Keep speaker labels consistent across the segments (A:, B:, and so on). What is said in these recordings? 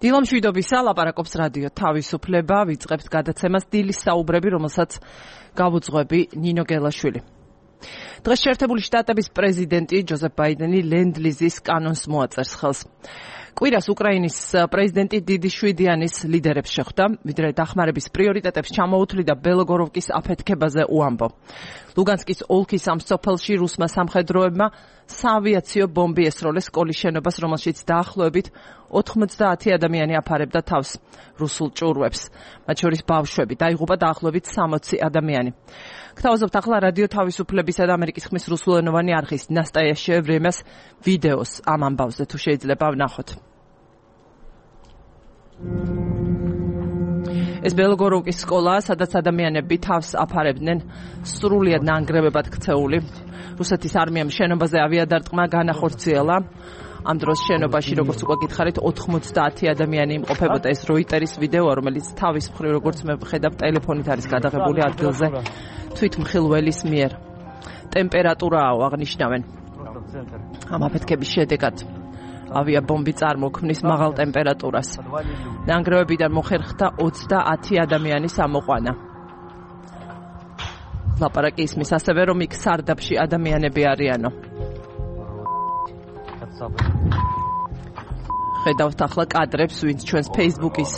A: დილამშვიდობისა, ლაპარაკობს რადიო თავისუფლება, ვიწყებთ გადაცემას დილის საუბრები, რომელსაც გავუძღვები ნინო გელაშვილი. დღეს შეერთებული შტატების პრეზიდენტი ჯოზეფ ბაიდენი ლენდ-ლიზის კანონს მოაწერს ხელს. კვირას უკრაინის პრეზიდენტი დიდი შვიდიანის ლიდერებს შეხვდა, ვიდრე დახმარების პრიორიტეტებს ჩამოუთვლიდა ბელოგოროვკის აფეთქებაზე უამბო. ლუგანსკის ოლქის ამ სოფელში რუსმა სამხედროებმა საავიაციო ბომბი ესროლეს სკოლის შენობას, რომელშიც დაახლოებით 90 ადამიანი აფარებდა თავს რუსულ ჭურვებს. მათ შორის ბავშვები, დაიღუპა დაახლოებით 60 ადამიანი. გთავაზობთ ახლა რადიო თავისუფლებისა და ამერიკის ხმის რუსულენოვანი არხის ნასტაიაშე ვრემიას ვიდეოს ამ ამბავზე, თუ შეიძლება ვნახოთ. ეს ბელოგოროვკის სკოლაა, სადაც ადამიანები თავს აფარებდნენ სრულიად ნანგრევებად ქცეული. რუსეთის არმიამ შენობაზე ავიადარტყმა განახორციელა. ამ დროს შენობაში, როგორც უკვე გითხარით, 90 ადამიანი იმყოფებოდა. ეს როიტერის ვიდეოა, რომელიც თავის მხრივ, როგორც მე ვხედავ, ტელეფონით არის გადაღებული ადგილზე თვითმხილველის მიერ. ტემპერატურაო აღნიშნავენ. ამ აფეთქების შედეგად ავიაბომბი წარმოქმნის მაღალ ტემპერატურას. ნანგრევებიდან მოხერხდა 30 ადამიანის ამოყვანა. ლაპარაკი ისმის ასევე, რომ იქ სარდაფში ადამიანები არიანო. ხედავთ ახლა კადრებს, ვინც ჩვენს Facebook-ის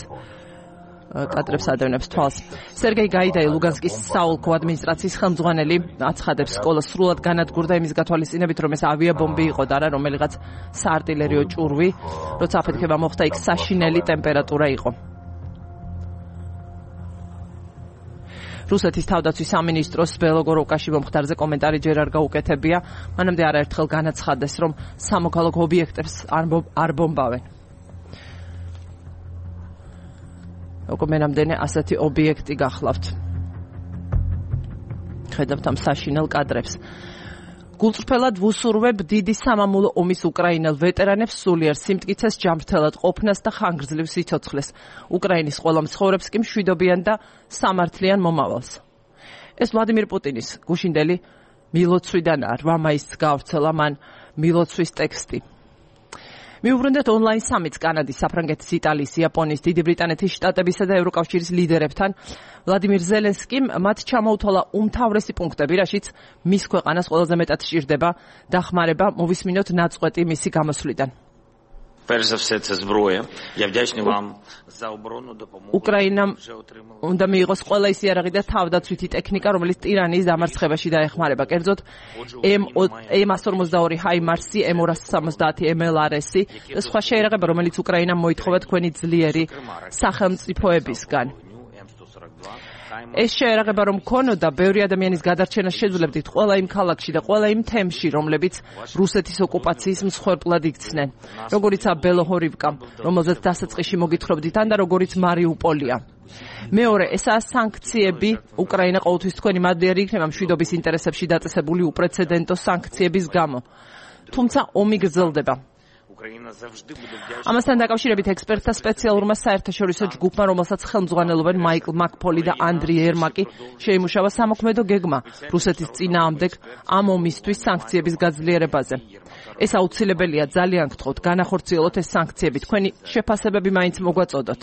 A: კადრებს ადევნებს თვალს. სერგეი გაიდაი, ლუგანსკის საოლქო ადმინისტრაციის ხელმძღვანელი, აცხადებს, სკოლა სრულად განადგურდა იმის გათვალისწინებით, რომ ეს ავიაბომბი იყო და არა რომელიღაც საარტილერიო ჭურვი. როცა აფეთქება მოხდა, იქ საშინელი ტემპერატურა იყო. რუსეთის თავდაცვის სამინისტროს ბელოგოროვკაში მომხდარზე კომენტარი ჯერ არ გაუკეთებია, მანამდე არაერთხელ განაცხადეს, რომ სამოქალაქო ობიექტებს არ ბომბავენ. უკმენამდე ასეთი ობიექტი გახლავთ. ხედავთ ამ საშინელ კადრებს. გულწრფელად ვუსურვებ დიდი სამამულო ომის უკრაინელ ვეტერანებს სულიერ სიმტკიცეს, ჯანმრთელად ყოფნას და ხანგრძლივ სიცოცხლეს. უკრაინის ყველა მცხოვრებს კი მშვიდობიან და სამართლიან მომავალს. ეს ვლადიმირ პუტინის გუშინდელი მილოცვიდანაა. 8 მაისს გაავრცელა მან მილოცვის ტექსტი. მიუბრუნდეთ ონლაინ სამიტს კანადის, საფრანგეთის, იტალიის, იაპონიის, დიდი ბრიტანეთის შტატებისა და ევროკავშირის ლიდერებთან. ვლადიმირ ზელენსკიმ მათ ჩამოუთვალა უმთავრესი პუნქტები, რაშიც მის ქვეყანას ყველაზე მეტად სჭირდება დახმარება, მოვისმინოთ ნაწყვეტი მისი გამოსვლიდან.
B: Перш за все, це зброя. Я вдячний вам за оборонну допомогу.
A: უკრაინამ უნდა მიიღოს ყველა ის იარაღი და თავდაცვითი ტექნიკა, რომელიც ტირანიის დამარცხებაში დაეხმარება. კერძოდ M142 ჰაიმარსი, M270 MLRS-ი და სხვა შეიარაღება, რომელიც უკრაინამ მოითხოვა თქვენი ძლიერი სახელმწიფოებისგან. ეს შეერაღება რომ ქონოდა, ბევრი ადამიანის გადარჩენას შეძლებდით ყველა იმ ქალაქში და ყველა იმ თემში, რომლებიც რუსეთის ოკუპაციის მსხვერპლად იქცნენ. როგორიცაა ბელოჰორივკა, რომელზეც დასაწყისში მოგითხრობდით, ან და როგორიც მარიუპოლია. მეორე, ესაა სანქციები. უკრაინა ყოველთვის თქვენი მადლიერი იქნება მშვიდობის ინტერესებში დაწესებული უპრეცედენტო სანქციების გამო. თუმცა ომი გრძელდება. ამასთან დაკავშირებით ექსპერტთა სპეციალურმა საერთაშორისო ჯგუფმა, რომელსაც ხელმძღვანელობენ მაიკლ მაკფოლი და ანდრი ერმაკი, შეიმუშავა სამოქმედო გეგმა რუსეთის წინააღმდეგ ამ ომისთვის სანქციების გაძლიერებაზე. ეს აუცილებელია, ძალიან გთხოვთ, განახორციელოთ ეს სანქციები, თქვენი შეფასებები მაინც მოგვაწოდოთ.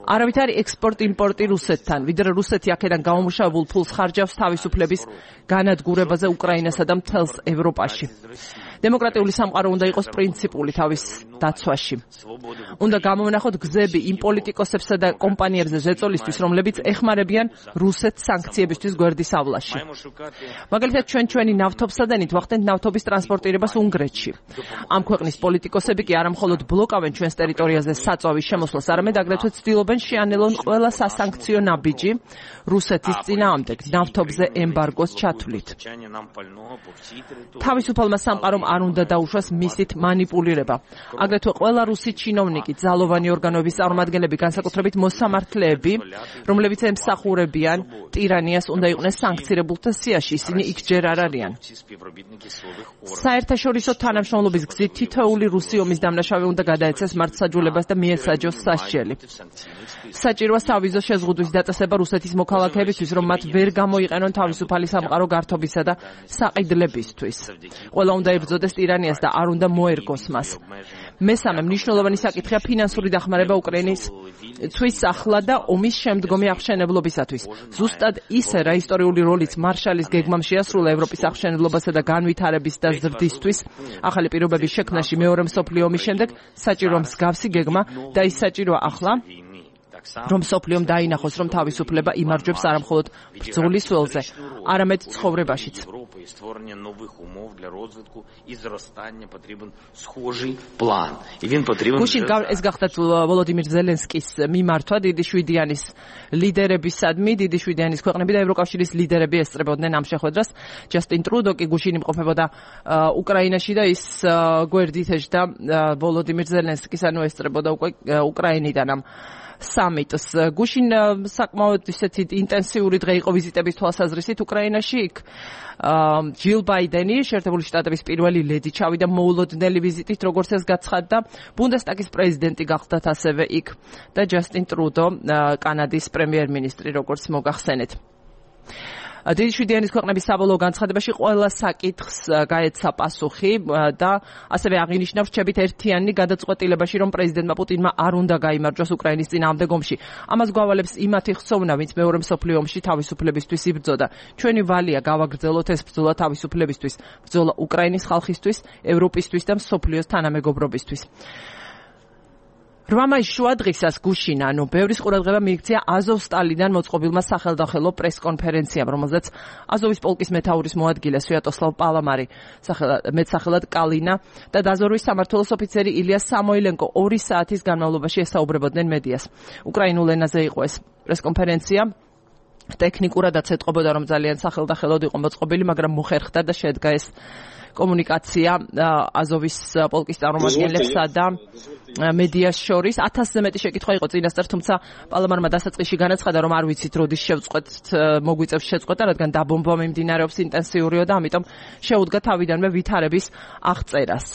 A: არავით არის ექსპორტ-იმპორტი რუსეთთან, ვიდრე რუსეთი აქედან გამომუშავებულ ფულს ხარჯავს თავისუფლების განადგურებაზე უკრაინასა და მთელს ევროპაში. დემოკრატიული სამყარო უნდა იყოს პრინციპული თავის დაცვაში. უნდა გამოვნახოთ გზები იმ პოლიტიკოსებსა და კომპანიებზე ზეწოლისთვის, რომლებიც ეხმარებიან რუსეთს სანქციებისთვის გვერდის ავლაში. მაგალითად, ჩვენი ნავთობსადენით ვახდენთ ნავთობის ტრანსპორტირებას უნგრეთში. ამ ქვეყნის პოლიტიკოსები კი არა მხოლოდ ბლოკავენ ჩვენს ტერიტორიაზე საწვავის შემოსვლას, არამედ აგრეთვე ცდილობენ შეანელონ ყველა სასანქციო ნაბიჯი რუსეთის წინააღმდეგ ნავთობზე ემბარგოს ჩათვლით. თავისუფალმა სამყარომ არ უნდა დაუშვას მისით მანიპულირება. აგრეთვე ყველა რუსი ჩინოვნიკი, ძალოვანი ორგანოების წარმომადგენლები, განსაკუთრებით მოსამართლეები, რომლებიც ემსახურებიან ტირანიას, უნდა იყვნენ სანქცირებულთა სიაში, ისინი იქ ჯერ არ არიან. საერთაშორისო თანამშრომლობის გზით თითოეული რუსი ომის დამნაშავე უნდა გადაეცეს მართლმსაჯულებას და მიესაჯოს სასჯელი. საჭიროა სავიზო შეზღუდვის დაწესება რუსეთის მოქალაქეებისთვის, რომ მათ ვერ გამოიყენონ თავისუფალი სამყარო გართობისა და საყიდლებისთვის. ყველა უნდა ებრძოდეს ტირანიას და არ უნდა მოერგოს მას. მესამე მნიშვნელოვანი საკითხია ფინანსური დახმარება უკრაინისთვის ახლა და ომის შემდგომი აღშენებლობისათვის. ზუსტად ისე, რა ისტორიული როლიც მარშალის გეგმამ შეასრულა ევროპის აღშენებლობასა და განვითარების და ზრდისთვის ახალი პირობების შექმნაში მეორე მსოფლიო ომის შემდეგ, საჭიროა მსგავსი გეგმა და ის საჭიროა ახლა, რომ მსოფლიომ დაინახოს, რომ თავისუფლება იმარჯვებს არა მხოლოდ ბრძოლის ველზე, არამედ ცხოვრებაშიც. გუშინ ეს გახდათ ვოლოდიმირ ზელენსკის მიმართვა დიდი შვიდიანის ლიდერებისადმი, დიდი შვიდიანის ქვეყნები და ევროკავშირის ლიდერები ესწრებოდნენ ამ შეხვედრას. ჯასტინ ტრუდო კი გუშინ იმყოფებოდა უკრაინაში და ის გვერდით ეჯდა ვოლოდიმირ ზელენსკის, ანუ ესწრებოდა უკვე უკრაინიდან ამ სამიტს. გუშინ საკმაოდ ისეთი ინტენსიური დღე იყო ვიზიტების თვალსაზრისით უკრაინაში. იქ ჯილ ბაიდენი, შეერთებული შტატების პირველი ლედი, ჩავიდა მოულოდნელი ვიზიტით, როგორც ეს გაცხადდა. ბუნდესტაგის პრეზიდენტი გახდათ ასევე იქ და ჯასტინ ტრუდო, კანადის პრემიერ-მინისტრი, როგორც მოგახსენეთ. დიდი შვიდიანის ქვეყნების საბოლოო განცხადებაში ყველა საკითხს გაეცა პასუხი და ასევე აღინიშნა რჩებით ერთიანი გადაწყვეტილებაში, რომ პრეზიდენტმა პუტინმა არ უნდა გაიმარჯვოს უკრაინის წინააღმდეგ ომში. ამას გვავალებს იმათი ხსოვნა, ვინც მეორე მსოფლიო ომში თავისუფლებისთვის იბრძოდა. ჩვენი ვალია გავაგრძელოთ ეს ბრძოლა თავისუფლებისთვის, ბრძოლა უკრაინის ხალხისთვის, ევროპისთვის და მსოფლიოს თანამეგობრობისთვის. 8 მაისს შუადღისას გუშინ, ანუ ბევრის ყურადღება მიიქცია აზოვსტალიდან მოწყობილმა სახელდახელო პრესკონფერენციამ, რომელზეც აზოვის პოლკის მეთაურის მოადგილე სვიატოსლავ პალამარი, მეტსახელად კალინა და დაზორვის სამმართველოს ოფიცერი ილია სამოილენკო 2 საათის განმავლობაში ესაუბრებოდნენ მედიას. უკრაინულ ენაზე იყო ეს პრესკონფერენცია. ტექნიკურადაც ეთყობოდა, რომ ძალიან სახელდახელოდ იყო მოწყობილი, მაგრამ მოხერხდა და შედგა ეს კომუნიკაცია აზოვის პოლკის წარმომადგენლებსა და მედიას შორის. 1000-ზე მეტი შეკითხვა იყო წინასწარ, თუმცა პალამარმა დასაწყისში განაცხადა, რომ არ ვიცით როდის შევწყვეტ, მოგვიწევს შეწყვეტა, რადგან დაბომბვა მიმდინარეობს ინტენსიურია და ამიტომ შეუდგა თავიდანვე ვითარების აღწერას.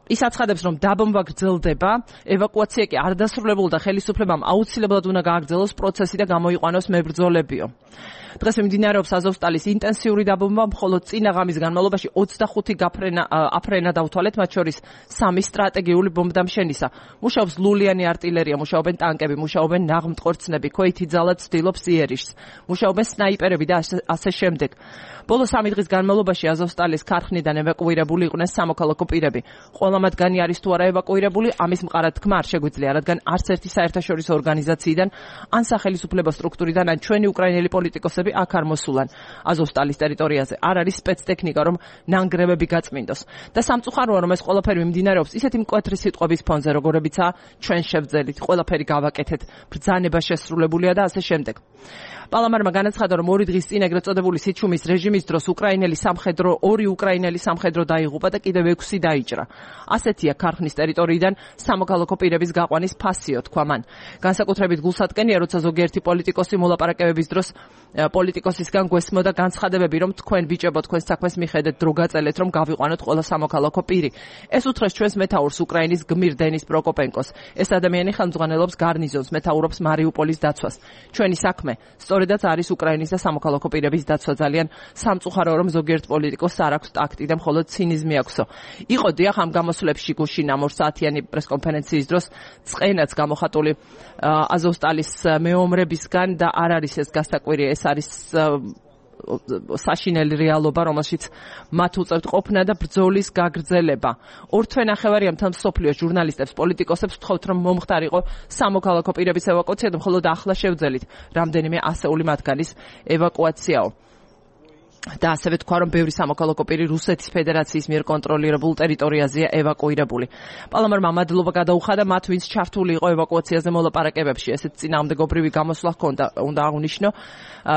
A: ის აცხადებს, რომ დაბომბვა გრძელდება, ევაკუაცია კი არ დასრულებულა და ხელისუფლებამ აუცილებლად უნდა გააგრძელოს პროცესი და გამოიყვანოს მებრძოლებიო. დღეს მიმდინარეობს აზოვსტალის ინტენსიური დაბომბვა, მხოლოდ წინა ღამის განმავლობაში 25 აფრენა დავთვალეთ, მათ შორის 3 სტრატეგიული ბომბდამშენისა. მუშაობს ლულიანი არტილერია, მუშაობენ ტანკები, მუშაობენ ნაღმტყორცნები, ქვეითი ძალა ცდილობს იერიშს, მუშაობენ სნაიპერები და ასე შემდეგ. ბოლო 3 დღის განმავლობაში აზოვსტალის ქარხნიდან ევაკუირებული იყვნენ სამოქალაქო პირები. ყველა მათგანი არის თუ არა ევაკუირებული, ამის მყარად თქმა არ შეგვიძლია, რადგან არც ერთი საერთაშორისო ორგანიზაციიდან, ან სახელისუფლებო სტრუქტურიდან, ან ჩვენი უკრაინელი პოლიტიკოსები აქ არ მოსულან. აზოვსტალის ტერიტორიაზე არ არის სპეცტექნიკა, რომ ნანგრევები გაწმინდოს. და სამწუხაროა, რომ ეს ყველაფერი მიმდინარეობს ისეთი მკვეთრი სიტყვების ფონზე, როგორებიცაა ჩვენ შევძელით, ყველაფერი გავაკეთეთ, ბრძანება შესრულებულია და ასე შემდეგ. პალამარმა განაცხადა, რომ 2 დღის წინ ეგრეთ წოდებული სიჩუმის რეჟიმის დროს2 უკრაინელი სამხედრო დაიღუპა და კიდევ 6 დაიჭრა. ასეთია ქარხნის ტერიტორიიდან სამოქალაქო პირების გაყვანის ფასიო, თქვა მან. განსაკუთრებით გულსატკენია, როცა ზოგიერთი პოლიტიკოსი მოლაპარაკებების დროს პოლიტიკოსისგან გვესმოდა განცხადებები, რომ თქვენ ბიჭებო, თქვენ საქმეს მიხედეთ, დრო გაწელეთ, რომ გავიყვანოთ ყველა სამოქალაქო პირი. ეს უთხრეს ჩვენს მეთაურს უკრაინის გმირ დენის პროკოპენკოს. ეს ადამიანი ხელმძღვანელობს გარნიზონს, მეთაურობს მარიუპოლის დაცვას. ჩვენი საქმე სწორედაც არის უკრაინის და სამოქალაქო პირების დაცვა. ძალიან სამწუხაროა, რომ ზოგიერთ პოლიტიკოსს არ აქვს ტაქტი და მხოლოდ ცინიზმი აქვსო. იყო დიახ ამ გამოსვლებში გუშინ ამ 2 საათიანი პრესკონფერენციის დროს წყენაც გამოხატული აზოვსტალის მეომრებისგან და არ არის ეს გასაკვირი, ეს არის საშინელი რეალობა, რომელშიც მათ უწევთ ყოფნა და ბრძოლის გაგრძელება. 2 თვენახევარია მთელ მსოფლიოს ჟურნალისტებს, პოლიტიკოსებს ვთხოვთ, რომ მომხდარიყო სამოქალაქო პირების ევაკუაცია და მხოლოდ ახლა შევძელით რამდენიმე ასეული მათგანის ევაკუაციაო. და ასევე თქვა, რომ ბევრი სამოქალაქო პირი რუსეთის ფედერაციის მიერ კონტროლირებულ ტერიტორიაზეა ევაკუირებული. პალამარმა მადლობა გადაუხადა მათ, ვინც ჩართული იყო ევაკუაციაზე მოლაპარაკებებში. ესეთ წინააღმდეგობრივი გამოსვლა ჰქონდა, უნდა აღვნიშნო,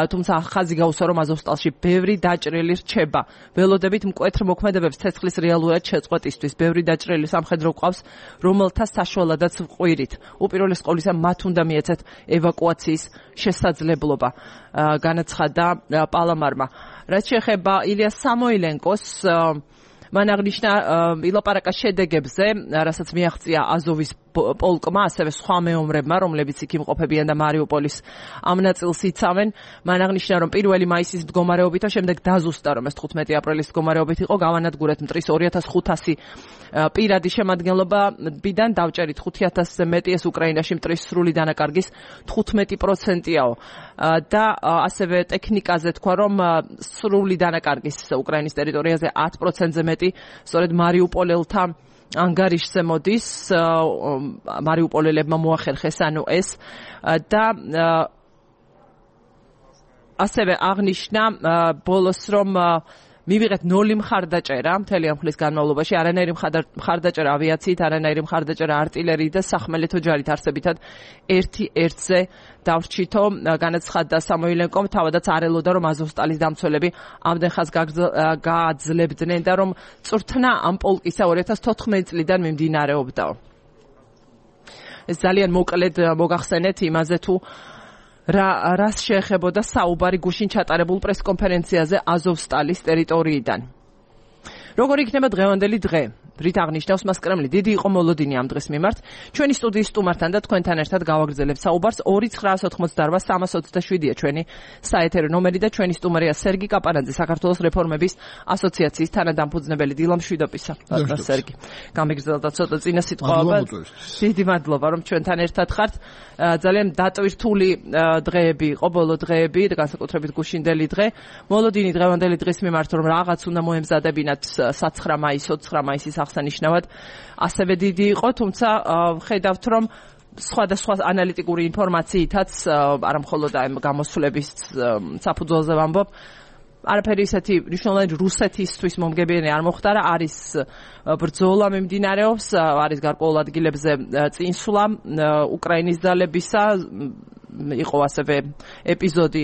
A: თუმცა ხაზი გაუსვა, რომ აზოვსტალში ბევრი დაჭრილი რჩება. ველოდებით მკვეთრ მოქმედებებს ცეცხლის რეალურად შეწყვეტისთვის. ბევრი დაჭრილი სამხედრო გვყავს, რომელთა საშუალადაც ვყვირით. უპირველეს ყოვლისა მათ უნდა მიეცეთ ევაკუაციის შესაძლებლობა, განაცხადა პალამარმა. რაც შეეხება ილია სამოილენკოს, მან აღნიშნა ილაპარაკა შედეგებზე, რასაც მიაღწია აზოვის პოლკმა, ასევე სხვა მეომრებმა, რომლებიც იქ იმყოფებიან და მარიუპოლის ამ ნაწილს იცავენ, მან აღნიშნა, რომ 1 მაისის მდგომარეობით და შემდეგ დაზუსტა, რომ ეს 15 აპრილის მდგომარეობით იყო, გავანადგურეთ მტრის 2500 პირადი შემადგენლობიდან, დავჭერით 5000-ზე მეტი, ეს უკრაინაში მტრის სრული დანაკარგის 15%-აო. და ასევე ტექნიკაზე თქვა, რომ სრული დანაკარგის უკრაინის ტერიტორიაზე 10%-ზე მეტი სწორედ მარიუპოლელთა ანგარიშზე მოდის, მარიუპოლელებმა მოახერხეს ანუ ეს და ასევე აღნიშნა ბოლოს, რომ მივიღეთ 0 მხარდაჭერა მთელი ამ ხნის განმავლობაში, არანაირი მხარდაჭერა ავიაციით, არანაირი მხარდაჭერა артиლერიით და სახმელეთო ჯარით, არსებითად 1-1-ზე დავრჩითო, განაცხადა სამოილენკომ, თავადაც არ ელოდა, რომ აზოვსტალის დამცველები ამდენ ხანს გააძლებდნენ და რომ წვრთნა ამ პოლკისა 2014 წლიდან მიმდინარეობდა. ეს ძალიან მოკლედ მოგახსენეთ იმაზე, თუ რას შეეხებოდა საუბარი გუშინ ჩატარებულ პრესკონფერენციაზე აზოვსტალის ტერიტორიიდან. როგორი იქნება დღევანდელი დღე? რით აღნიშნავს მას კრემლი? დიდი იყო მოლოდინი ამ დღეს მიმართ. ჩვენი სტუდიის სტუმართან და თქვენთან ერთად გავაგრძელებთ საუბარს. 2988327-ია ჩვენი საეთერო ნომერი და ჩვენი სტუმარია სერგი კაპარაძე, საქართველოს რეფორმების ასოციაციის თანადამფუძნებელი. დილამშვიდობისა, სერგი. გამიგრძელდა ცოტა წინა სიტყვაობა. დიდი მადლობა, რომ ჩვენთან ერთად ხართ. ძალიან დატვირთული დღეები იყო, ბოლო დღეები, განსაკუთრებით გუშინდელი დღე. მოლოდინი დღევანდელი დღის მიმართ, რომ რაღაც უნდა მოემზადებინათ 9 მაისს, 20 მაისის აღსანიშნავად, ასევე დიდი იყო, თუმცა ხედავთ, რომ სხვადასხვა ანალიტიკური ინფორმაციითაც, არა მხოლოდ ამ გამოსვლების საფუძველზე ვამბობ, არაფერი ისეთი მნიშვნელოვანი რუსეთისთვის მომგებიანი არ მოხდარა, არის ბრძოლა მიმდინარეობს, არის გარკვეულ ადგილებზე წინსვლა უკრაინის ძალებისა, იყო ასევე ეპიზოდი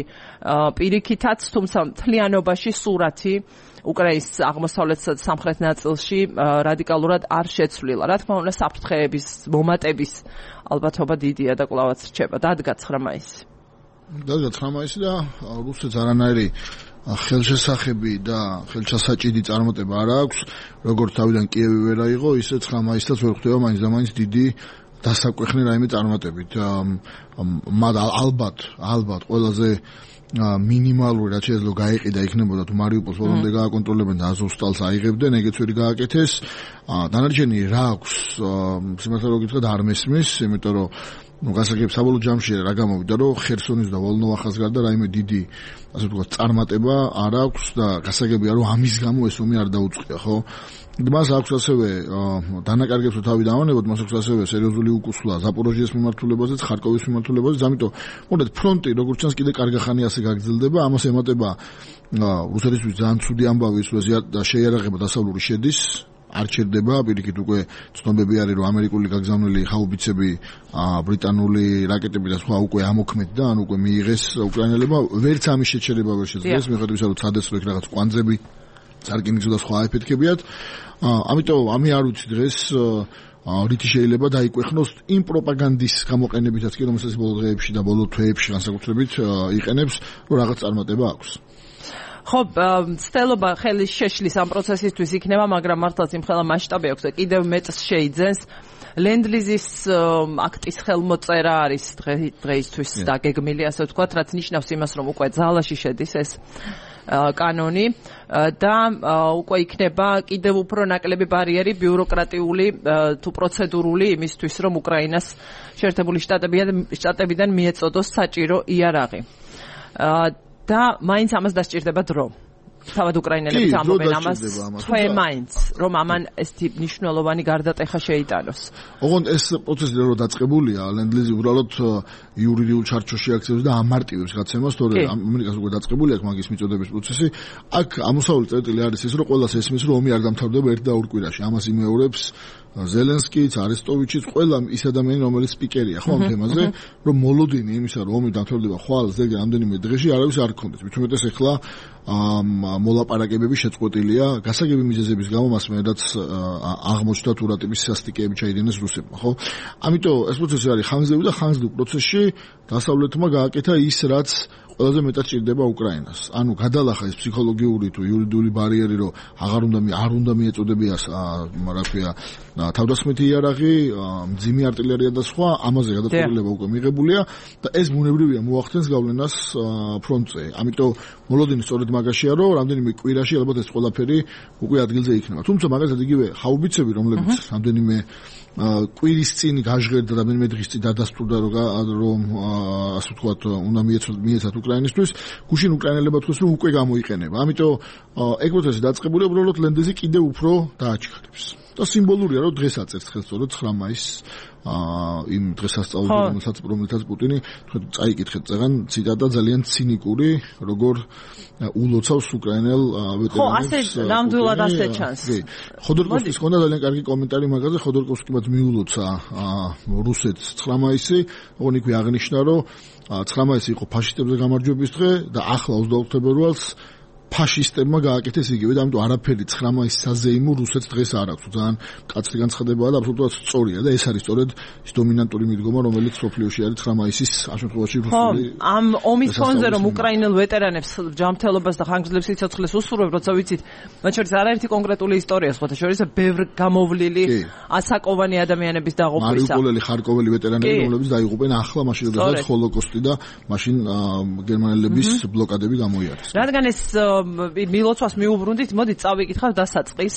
A: პირიქითაც, თუმცა მთლიანობაში სურათი უკრაინის აღმოსავლეთ სამხრეთ ნაწილში რადიკალურად არ შეცვლილა. რა თქმა უნდა, საფრთხეების მომატების ალბათობა დიდია და კვლავაც რჩება. დადგა 9 მაისი.
C: დადგა 9 მაისი და რუსეთს არანაირი ხელშესახები და ხელშესაჭიდი წარმატება არ აქვს, როგორც თავიდან კიევი ვერ აიღო, ისე 9 მაისსაც ვერ ხვდება მაინც და მაინც დიდი დასაკვეხნი რაიმე წარმატებით. ალბათ ყველაზე მინიმალური რაც შეიძლება გაიყიდა იქნებოდა თუ მარიუპოლს ბოლომდე გააკონტროლებენ და აზოვსტალს აიღებდნენ, ეგეც ვერ გააკეთეს. დანარჩენი რა აქვს, სიმართლე რომ გითხრათ არ მესმის, იმიტომ რომ გასაგებ საბოლოო ჯამში რა გამოვიდა, რომ ხერსონის და ვოლნოვახას გარდა რაიმე დიდი, ასე ვთქვათ, წარმატება არ აქვს და გასაგებია, რომ ამის გამო ეს ომი არ დაუწყია, ხო? მას აქვს ასევე დანაკარგებს თავი დავანებოთ, მას აქვს ასევე სერიოზული უკუსვლა ზაპოროჟიეს მიმართულებაზეც, ხარკოვის მიმართულებაზეც, ამიტომ მოდეთ ფრონტი როგორც ჩანს კიდე კარგი ხანი ასე გაგრძელდება, ამას ემატება რუსეთისთვის ძალიან ცუდი ამბავი ის, რომ შეიარაღება დასავლური შედის, არ ჩერდება, პირიქით უკვე ცნობები არის, რომ ამერიკული გაგზავნილი ხაუბიცები, ბრიტანული რაკეტები და სხვა უკვე ამოქმედდა, ან უკვე მიიღეს უკრაინელებმა, ვერც ამის შეჩერება ვერ შეძლეს, მიუხედავად რომ ცადეს რომ იქ რაღაც კვანძები წარკინიგზო და სხვა ეფექტებიათ. ამიტომ ამი არ ვიცი დღეს რითი შეიძლება დაიკვეხნოს იმ პროპაგანდის გამოყენებითაც კი, რომელსაც ბოლო დღეებში და ბოლო თვეებში განსაკუთრებით იყენებს, რომ რაღაც წარმატება აქვს.
A: ხო, ცდელობა ხელის შეშლის ამ პროცესისთვის იქნება, მაგრამ მართლაც იმხელა მასშტაბი აქვს და კიდევ მეტს შეიძენს. ლენდლიზის აქტის ხელმოწერა არის დღეისთვის დაგეგმილი, ასე ვთქვათ, რაც ნიშნავს იმას, რომ უკვე ძალაში შედის ეს კანონი და უკვე იქნება კიდევ უფრო ნაკლები ბარიერი ბიუროკრატიული თუ პროცედურული იმისთვის, რომ უკრაინას შეერთებული შტატებიდან მიეწოდოს საჭირო იარაღი. და მაინც ამას დასჭირდება დრო. თავად უკრაინელებიც ამბობენ ამას, თვე მაინც, რომ ამან ესეთი მნიშვნელოვანი გარდატეხა შეიტანოს.
C: ოღონდ ეს პროცესი რო დაწყებულია, ლენდლიზი უბრალოდ იურიდიულ ჩარჩოში აქცევს და ამარტივებს გაცემას, თორე ამერიკას უკვე დაწყებული აქვს მაგის მიწოდების პროცესი. აქ ამოსავალი წერტილი არის ის, რომ ყველას ესმის, რომ ომი არ დამთავრდება 1 და 2 კვირაში. ამას იმეორებს ზელენსკიც, არესტოვიჩიც, ყველა ის ადამიანი, რომელიც სპიკერია ხო ამ თემაზე, რომ მოლოდინი იმისა, რომ ომი დამთავრდება ხვალ ზეგი რამდენიმე დღეში, არავის არ გქონდეს. მithumetes ეხლა მოლაპარაკებები შეწყვეტილია გასაგები მიზეზების გამო, მას მერაც აღმოჩნდა თუ რა ტიპის სასტიკეები ჩაიდენეს რუსებმა, ხო? ამიტომ ეს პროცესი არის ხანგრძლივი და ხანგრძლივ პროცესში დასავლეთმა გააკეთა ის, რაც ყველაზე მეტად ჭირდება უკრაინას. ანუ გადალახა ეს ფსიქოლოგიური თუ იურიდიული ბარიერი, რომ არ უნდა მიეწოდებიას, რა ქვია, თავდასხმითი იარაღი, მძიმე артиლერია და სხვა, ამაზე გადაწყვეტილება უკვე მიღებულია და ეს ბუნებრივია მოახდენს გავლენას ფრონტზე. ამიტომ მოლოდინი სწორედ მაგაშია, რომ რამდენიმე კვირაში ალბათ ეს ყველაფერი უკვე ადგილზე იქნება. თუმცა მაგალითად იგივე ხაუბიცები, რომლებიც რამდენიმე კვირის წინ გაჟღერდა და რამდენიმე დღის წინ დადასტურდა, რომ ასე ვთქვათ, უნდა მიეცათ უკრაინისთვის, გუშინ უკრაინელებმა თქვეს, რომ უკვე გამოიყენება. ამიტომ ეგ პროცესი დაწყებულია, უბრალოდ ლენდეზი კიდევ უფრო დააჩქარებს. და სიმბოლურია, რომ დღეს აწერს ხელს სწორედ 9 მაისს იმ დღესასწაულს, რომელსაც პუტინი წაიკითხეთ წეგან ციტატა ძალიან ცინიკური, როგორ ულოცავს უკრაინელ ვეტერანებს.
A: ხო, ასე ნამდვილად ასე ჩანს.
C: ხოდორკოვსკის ხონდა ძალიან კარგი კომენტარი მაგაზე, ხოდორკოვსკიმაც მიულოცა რუსეთს 9 მაისი, ოღონდ იქვე აღნიშნა, რომ 9 მაისი იყო ფაშისტებზე გამარჯვების დღე და ახლა 24 თებერვალს ფაშისტებმა გააკეთეს იგივე და ამიტომ არაფერი 9 მაისის საზეიმო რუსეთს დღეს არ აქვს. ძალიან კაცრი განცხადებაა და აბსოლუტურად სწორია და ეს არის სწორედ ის დომინანტური მიდგომა, რომელიც სოფლიოში არის 9 მაისის ამ შემთხვევაში რუსული.
A: ამ ომის ფონზე რომ უკრაინელ ვეტერანებს ჯანმრთელობას და ხანგრძლივ სიცოცხლეს უსურვებ, როცა ვიცით, მათ შორის არაერთი კონკრეტული ისტორია, სხვათა შორის ბევრ გამოვლილი ასაკოვანი ადამიანების დაღუპვისა.
C: მარიუპოლელი, ხარკოველი ვეტერანები, რომლებიც დაიღუპენ ახლა მაშინ როდესაც ჰოლოკოსტი და მაშინ გერმანელების ბლოკადები გამოიარეს.
A: რადგან ეს მილოცვას მიუბრუნდით, მოდით წავიკითხავ დასაწყის.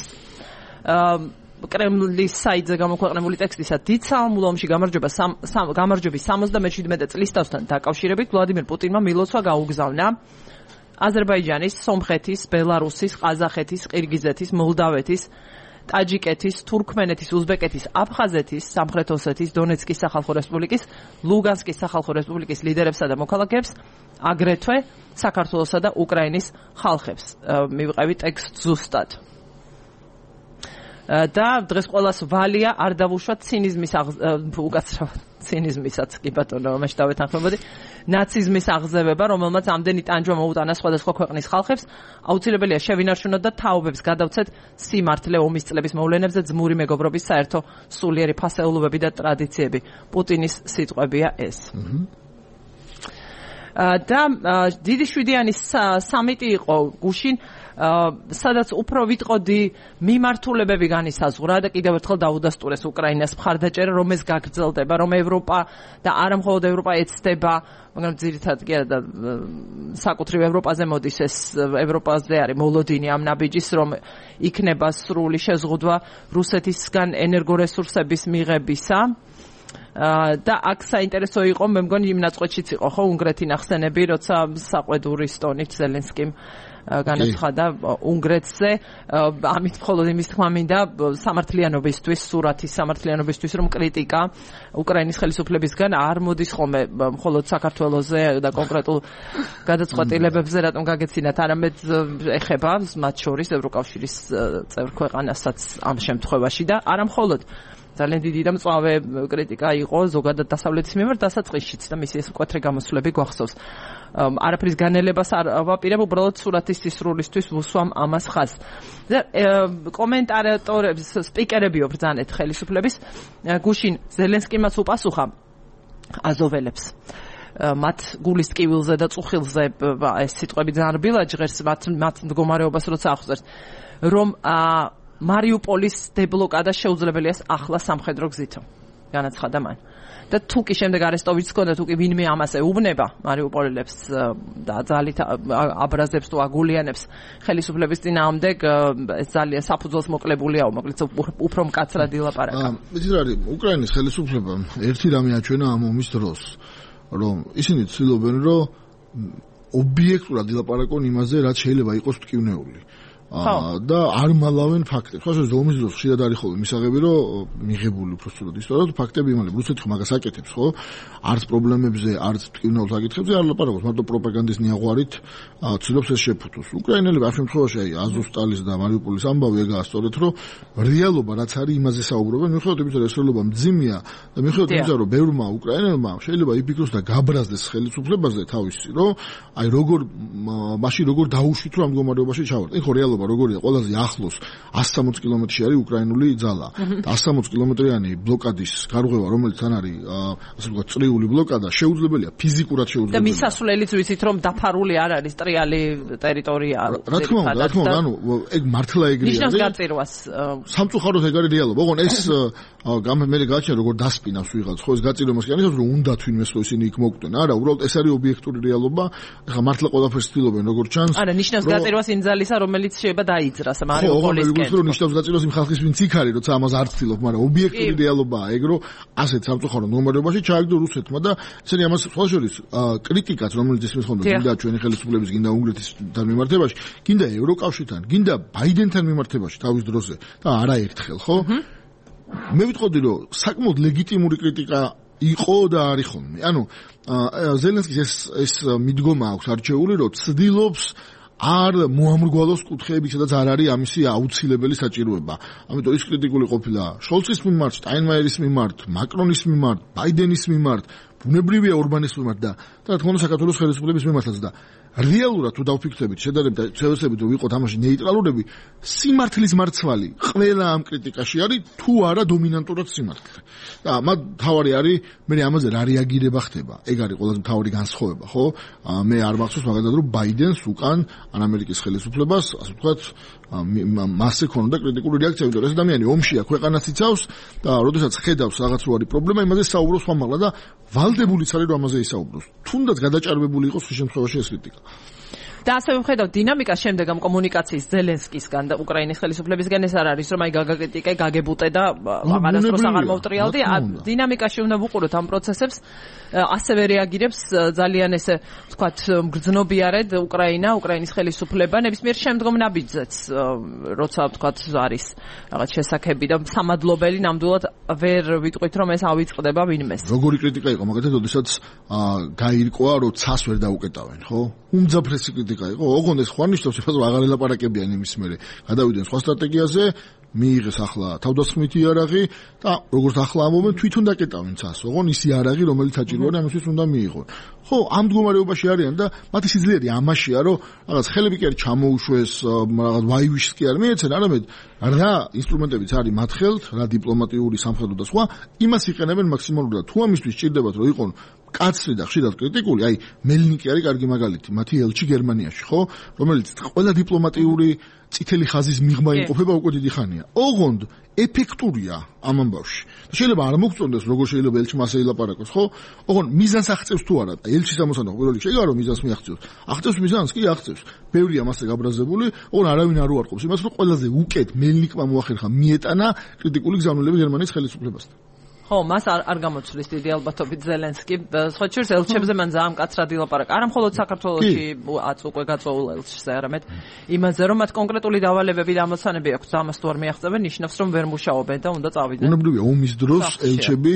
A: კრემლის საიტზე გამოქვეყნებული ტექსტისა დიდ საამულო ომში გამარჯვების 77 წლისთავთან დაკავშირებით ვლადიმერ პუტინმა მილოცვა გაუგზავნა აზერბაიჯანის, სომხეთის, ბელარუსის, ყაზახეთის, ყირგიზეთის, მოლდავეთის, ტაჯიკეთის, თურქმენეთის, უზბეკეთის, აფხაზეთის, სამხრეთ ოსეთის, დონეცკის სახალხო რესპუბლიკის, ლუგანსკის სახალხო რესპუბლიკის ლიდერებსა და მოქალაქეებს, აგრეთვე საქართველოსა და უკრაინის ხალხებს. მივყევი ტექსტ ზუსტად. და დღეს ყველას ვალია არ დავუშვა ცინიზმის უკაცრავად ცინიზმისაც კი ბატონო მაშ დავეთანხმებოდი ნაციზმის აღზევება, რომელმაც ამდენი ტანჯვა მოუტანა სხვადასხვა ქვეყნის ხალხებს, აუცილებელია შევინარჩუნოთ და თაობებს გადავცეთ სიმართლე ომის წლების მოვლენებზე, ძმური მეგობრობის საერთო სულიერი ფასეულობები და ტრადიციები. პუტინის სიტყვებია ეს. და დიდი შვიდიანის სამიტი იყო გუშინ, სადაც უფრო ვიტყოდი მიმართულებები განისაზღვრა და კიდევ ერთხელ დაუდასტურეს უკრაინას მხარდაჭერა, რომ ეს გაგრძელდება, რომ ევროპა და არა მხოლოდ ევროპა ეცდება, მაგრამ ძირითადად კი არა და საკუთრივ ევროპაზე მოდის ეს ევროპაზე არის მოლოდინი ამ ნაბიჯის, რომ იქნება სრული შეზღუდვა რუსეთისგან ენერგორესურსების მიღებისა. და აქ საინტერესო იყო, მე მგონი იმ ნაწყვეტშიც იყო ხო უნგრეთი ნახსენები, როცა საყვედურის ტონით ზელენსკიმ განაცხადა უნგრეთზე, ამით მხოლოდ იმის თქმა მინდა სამართლიანობისთვის, სურათის სამართლიანობისთვის, რომ კრიტიკა უკრაინის ხელისუფლებისგან არ მოდის ხოლმე მხოლოდ საქართველოზე და კონკრეტულ გადაწყვეტილებებზე, რატომ გაგეცინათ, არამედ ეხება მათ შორის ევროკავშირის წევრ ქვეყანასაც ამ შემთხვევაში და არა მხოლოდ ძალიან დიდი და მწვავე კრიტიკა იყო ზოგადად დასავლეთის მიმართ დასაწყისშიც და მისი ეს მკვეთრი გამოსვლები გვახსოვს. არაფრის განელებას არ ვაპირებ, უბრალოდ სურათის სისრულისთვის ვუსვამ ამას ხაზს. და კომენტატორებს, სპიკერებიო ბრძანეთ ხელისუფლების, გუშინ ზელენსკიმაც უპასუხა აზოველებს. მათ გულის ტკივილზე და წუხილზე ეს სიტყვები ძალიან რბილად ჟღერს მათ მდგომარეობას როცა ახსოვს, რომ მარიუპოლის დებლოკადა შეუძლებელია ახლა სამხედრო გზითო. განაცხადა მან. და თუ კი შემდეგ არესტოვიჩს ჰქონდა, თუ კი ვინმე ამას ეუბნება მარიუპოლელებს და ძალით აბრაზებს თუ აგულიანებს ხელისუფლების წინააღმდეგ, ეს ძალიან საფუძველს მოკლებულია, მოკლედ უფრო მკაცრად ილაპარაკა.
C: იცით რა არის, უკრაინის ხელისუფლებამ ერთი რამე აჩვენა ამ ომის დროს, რომ ისინი ცდილობენ, რომ ობიექტურად ილაპარაკონ იმაზე, რაც შეიძლება იყოს მტკივნეული. და არ მალავენ ფაქტებს. ხო, შეიძლება ომის დროს ხშირად არის ხოლმე მისაღები, რომ მიღებული უფრო სწორად ისტორიულად ფაქტები იმალებ. რუსეთი მაგას აკეთებს, ხო? არც პრობლემებზე, არც მტკივნეულ საკითხებზე არ ლაპარაკობს, მარტო პროპაგანდის ნიაღვარით ცდილობს ეს შეფუთოს. უკრაინელები ამ შემთხვევაში აზოვსტალის და მარიუპოლის ამბავი ეგაა სწორედ, რომ რეალობა რაც არის იმაზე საუბრობენ, მიუხედავად იმისა, რომ ეს რეალობა მძიმეა და მიუხედავად იმისა, რომ ბევრმა უკრაინელმა შეიძლება იფიქროს და გაბრაზდეს ხელისუფლებაზე თავისი, რომ აი როგორ მაშინ როგორ დაუშვით რომ ამ მდგომარეობაში ჩავარდეთ. ეხლა რეალობა ცხელობა როგორია, ყველაზე ახლოს 160 კილომეტრში არის უკრაინული ძალა. 160 კილომეტრიანი ბლოკადის გარღვევა, რომელიც თან არის, ასე ვთქვათ, წრიული ბლოკადა, შეუძლებელია, ფიზიკურად შეუძლებელია.
A: და მისასვლელიც ვიცით, რომ დაფარული არ არის ტრიალი ტერიტორია.
C: რა თქმა უნდა, ანუ ეგ მართლა ეგრეა.
A: ნიშნავს გაწირვას.
C: სამწუხაროდ ეგ არის რეალობა. ოღონ ეს მე გაჩნია როგორ დასპინავს ვიღაც, ხო ეს გაწირვას კი არის, რომ უნდა თვინმეს ხო ისინი იქ მოკვდნენ. არა, უბრალოდ ეს არის ობიექტური რეალობა. ეხლა მართლა ყველაფერს ცდილობენ როგორ ჩანს.
A: არა, ნიშნავს გაწირვას იმ ძალისა, რომელიც შეიძლება დაიძრას
C: მარიუპოლისკენ. ხო, ნიშნავს გაწირვას იმ ხალხის, ვინც იქ არის, როცა ამას არ ცდილობ, მაგრამ ობიექტური რეალობაა ეგ, რომ ასეთ სამწუხარო მდგომარეობაში ჩააგდო რუსეთმა და ესენი ამას სხვა შორის კრიტიკაც, რომელიც ისმის ხონდა გინდა ჩვენი ხელისუფლების, გინდა უნგრეთისთან მიმართებაში, გინდა ევროკავშირთან, გინდა ბაიდენთან მიმართებაში თავის დროზე და არაერთხელ, ხო? მე ვიტყოდი, რომ საკმაოდ ლეგიტიმური კრიტიკა იყო და არის ხოლმე. ანუ ზელენსკის ეს მიდგომა აქვს არჩეული, რომ ცდილობს არ მოამრგვალოს კუთხეები, სადაც არ არის ამისი აუცილებელი საჭიროება. ამიტომ ის კრიტიკული ყოფილა შოლცის მიმართ, შტაინმაიერის მიმართ, მაკრონის მიმართ, ბაიდენის მიმართ, ბუნებრივია ორბანის მიმართ და რა თქმა უნდა საქართველოს ხელისუფლების მიმართაც და რეალურად თუ დავფიქრდებით, შევეცდებით რომ ვიყოთ ამაში ნეიტრალურები, სიმართლის მარცვალი ყველა ამ კრიტიკაში არის თუ არა დომინანტურად სიმართლე. და მათ თავარი არის მე ამაზე რა რეაგირება ხდება. ეგ არის ყველაზე მთავარი განსხვავება, ხო? მე არ მახსოვს მაგალითად რომ ბაიდენს უკან ამერიკის ხელისუფლებას, ასე ვთქვათ, მასე ქონდა კრიტიკული რეაქცია, იმიტომ რომ ეს ადამიანი ომშია, ქვეყანას იცავს და როდესაც ხედავს რაღაც რო არის პრობლემა, იმაზე საუბრობს ხმამაღლა და ვალდებულიც არის რომ ამაზე ისაუბროს. თუნდაც გადაჭარბებული იყოს ხის შემთხვევაში ეს კრიტიკა.
A: და ასე ვხედავ დინამიკას შემდეგ ამ კომუნიკაციის ზელენსკისგან და უკრაინის ხელისუფლებისგან ეს არ არის რომ აი გაგაკრიტიკე, გაგებუტე და აღარასდროს აღარ მოვტრიალდი. დინამიკაში უნდა ვუყუროთ ამ პროცესებს. ასევე რეაგირებს ძალიან ესე ვთქვათ მგრძნობიარედ უკრაინის ხელისუფლება ნებისმიერ შემდგომ ნაბიჯზეც, როცა ვთქვათ არის რაღაც შესაქმები და სამადლობელი ნამდვილად ვერ ვიტყვით რომ ეს ავიწყდება ვინმეს.
C: როგორი კრიტიკა იყო მაგალითად, როდესაც გაირკვა რომ ცას ვერ დაუკეტავენ, ხო? უმძაფრესი კრიტიკა იყო. ოღონდ ეს ხوار ნიშნავს, რომ აღარ ელაპარაკებიან იმის მერე. გადავიდნენ სხვა სტრატეგიაზე, მიიღეს ახლა თავდასხმითი იარაღი და როგორც ახლა ამობენ თვითონ დაკეტავენ ცას. ოღონდ ისი იარაღი, რომელიც საჭიროა ამისთვის უნდა მიიღონ. ხო, ამ მდგომარეობაში არიან და მათი სიძლიერე ამაშია, რომ რაღაც ხელები კი არ ჩამოუშვეს, რაღაც ვაივიშს კი არ მიეცენ, არამედ რა ინსტრუმენტებიც არის მათ ხელთ, რა დიპლომატიური, სამხედრო და სხვა, იმას იყენებენ მაქსიმალურად. თუ ამისთვის სჭირდებათ, რომ იყონ კაცრი და ხშირად კრიტიკული, აი მელნიკი არის კარგი მაგალითი, მათი ელჩი გერმანიაში, ხო, რომელიც ყველა დიპლომატიური წითელი ხაზის მიღმა იმყოფება უკვე დიდი ხანია. ოღონდ ეფექტურია ამ ამბავში. შეიძლება არ მოგწონდეს, როგორ შეიძლება ელჩმა ასე ილაპარაკოს, ხო? ოღონდ მიზანს აღწევს თუ არა? ელჩის ამოსანა პირველ რიგში ეგაა რომ მიზანს მიაღწევს. აღწევს მიზანს კი აღწევს. ბევრია მასზე გაბრაზებული, ოღონდ არავინ არ უარყოფს იმას, რომ ყველაზე უკეთ მელნიკმა მოახერხა მიეტანა კრიტიკული გზავნილება გერმანიის ხელისუფლებასთან.
A: ხო, მას არ გამოცვლის დიდი ალბათობით ზელენსკი. სხვა შორის ელჩებზე მან ძალიან მკაცრად ილაპარაკა. არა მხოლოდ საქართველოში უკვე გაწვეულ ელჩზე, არამედ იმაზე, რომ მათ კონკრეტული დავალებები და ამოცანები აქვს, ამას თუ არ მიაღწევენ, ნიშნავს, რომ ვერ მუშაობენ და უნდა წავიდნენ.
C: უნებრივია ომის დროს ელჩები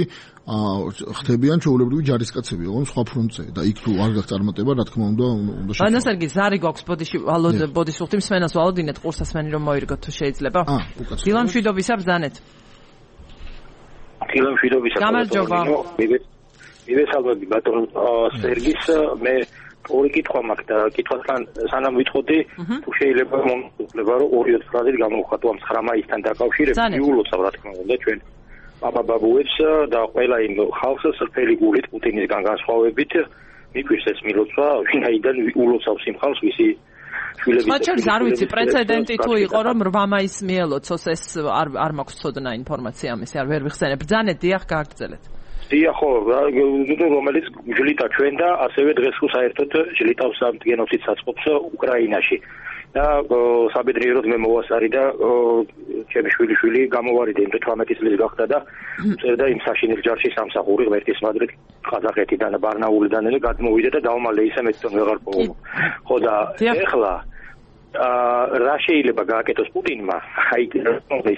C: ხდებიან ჩვეულებრივი ჯარისკაცები, ოღონდ სხვა ფრონტზე და იქ თუ არ გაქვს წარმატება, რა თქმა უნდა შეხვდება.
A: ანასერგი ზარი გვაქვს ბოდიშუხტი მსმენას ვალოდინეთ ყურსასმენი რომ მოირგოთ თუ შეიძლება. დილა მშვიდობისა ბრძანეთ. გამარჯობა.
D: მივესალმები ბატონ სერგის, მე ორი კითხვა მაქვს და კითხვასთან სანამ ვიტყოდი, თუ შეიძლება მომხდარა რომ 2-4 ფრაზით გამოვხატო ამ 9 მაისთან დაკავშირებით, იულოცა რა თქმა უნდა ჩვენ ბაბუებს და ყველა იმ ხალხს სრფელი გულით პუტინისგან განსხვავებით მიგვირს ეს მილოცვა, ვინაიდან ულოცავს იმ ხალხს ვისი
A: შვილების არ ვიცი პრეცედენტი თუ იყო რომ 8 მაისს მიელოცოს ეს არ მაქვს ცოდნა ინფორმაცია ამისი არ ვერ ვიხსენებ. ბრძანეთ, დიახ, გააგრძელეთ.
D: დიახ, ხო, რომელიც ჯლიტა ჩვენ და ასევე დღეს ხო საერთოდ ჯლიტავს ამ გენოციდს აწყობს უკრაინაში. და საბედნიეროდ მე მოვასწარი და ჩემი შვილი გამოვარიდა იმ 18 წლის გახდა და წერდა იმ საშინელ ჯარში სამსახური ღმერთის მადლით ყაზახეთიდან და ბარნაულიდან გადმოვიდა და დავმალე ისე მე თვითონ ვეღარ პოვო. ხო და ეხლა რა შეიძლება გააკეთოს პუტინმა, აი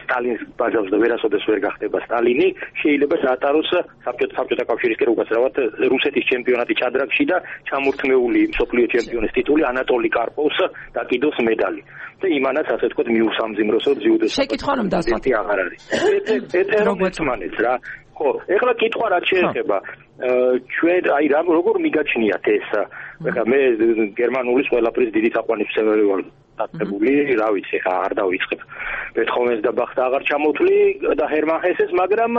D: სტალინის ბაჟავს და ვერასოდეს ვერ გახდება სტალინი, შეიძლება დაატაროს საბჭოთა კავშირისკენ უკაცრავად რუსეთის ჩემპიონატი ჭადრაგში და ჩამორთმეული მსოფლიო ჩემპიონის ტიტული ანატოლი კარპოვს დაკიდოს მედალი. და იმანაც ასე თქვა მიუსამძიმროსო ძიუდოს.
A: შეკითხვა რომ დასვათ
D: აღარ არის. ეტერომეცმანეც რა. ხო, ეხლა კითხვა რაც შეეხება ჩვენ აი როგორ მიგაჩნიათ ეს? ეხლა მე გერმანულის ყველაფრის დიდი საყვანისმცემელი ვარ. დაწებული, რა ვიცი, არ დავიწყებ. ბეთჰოვენს და ბახს აღარ ჩამოთვლი და ჰერმან ჰესეს, მაგრამ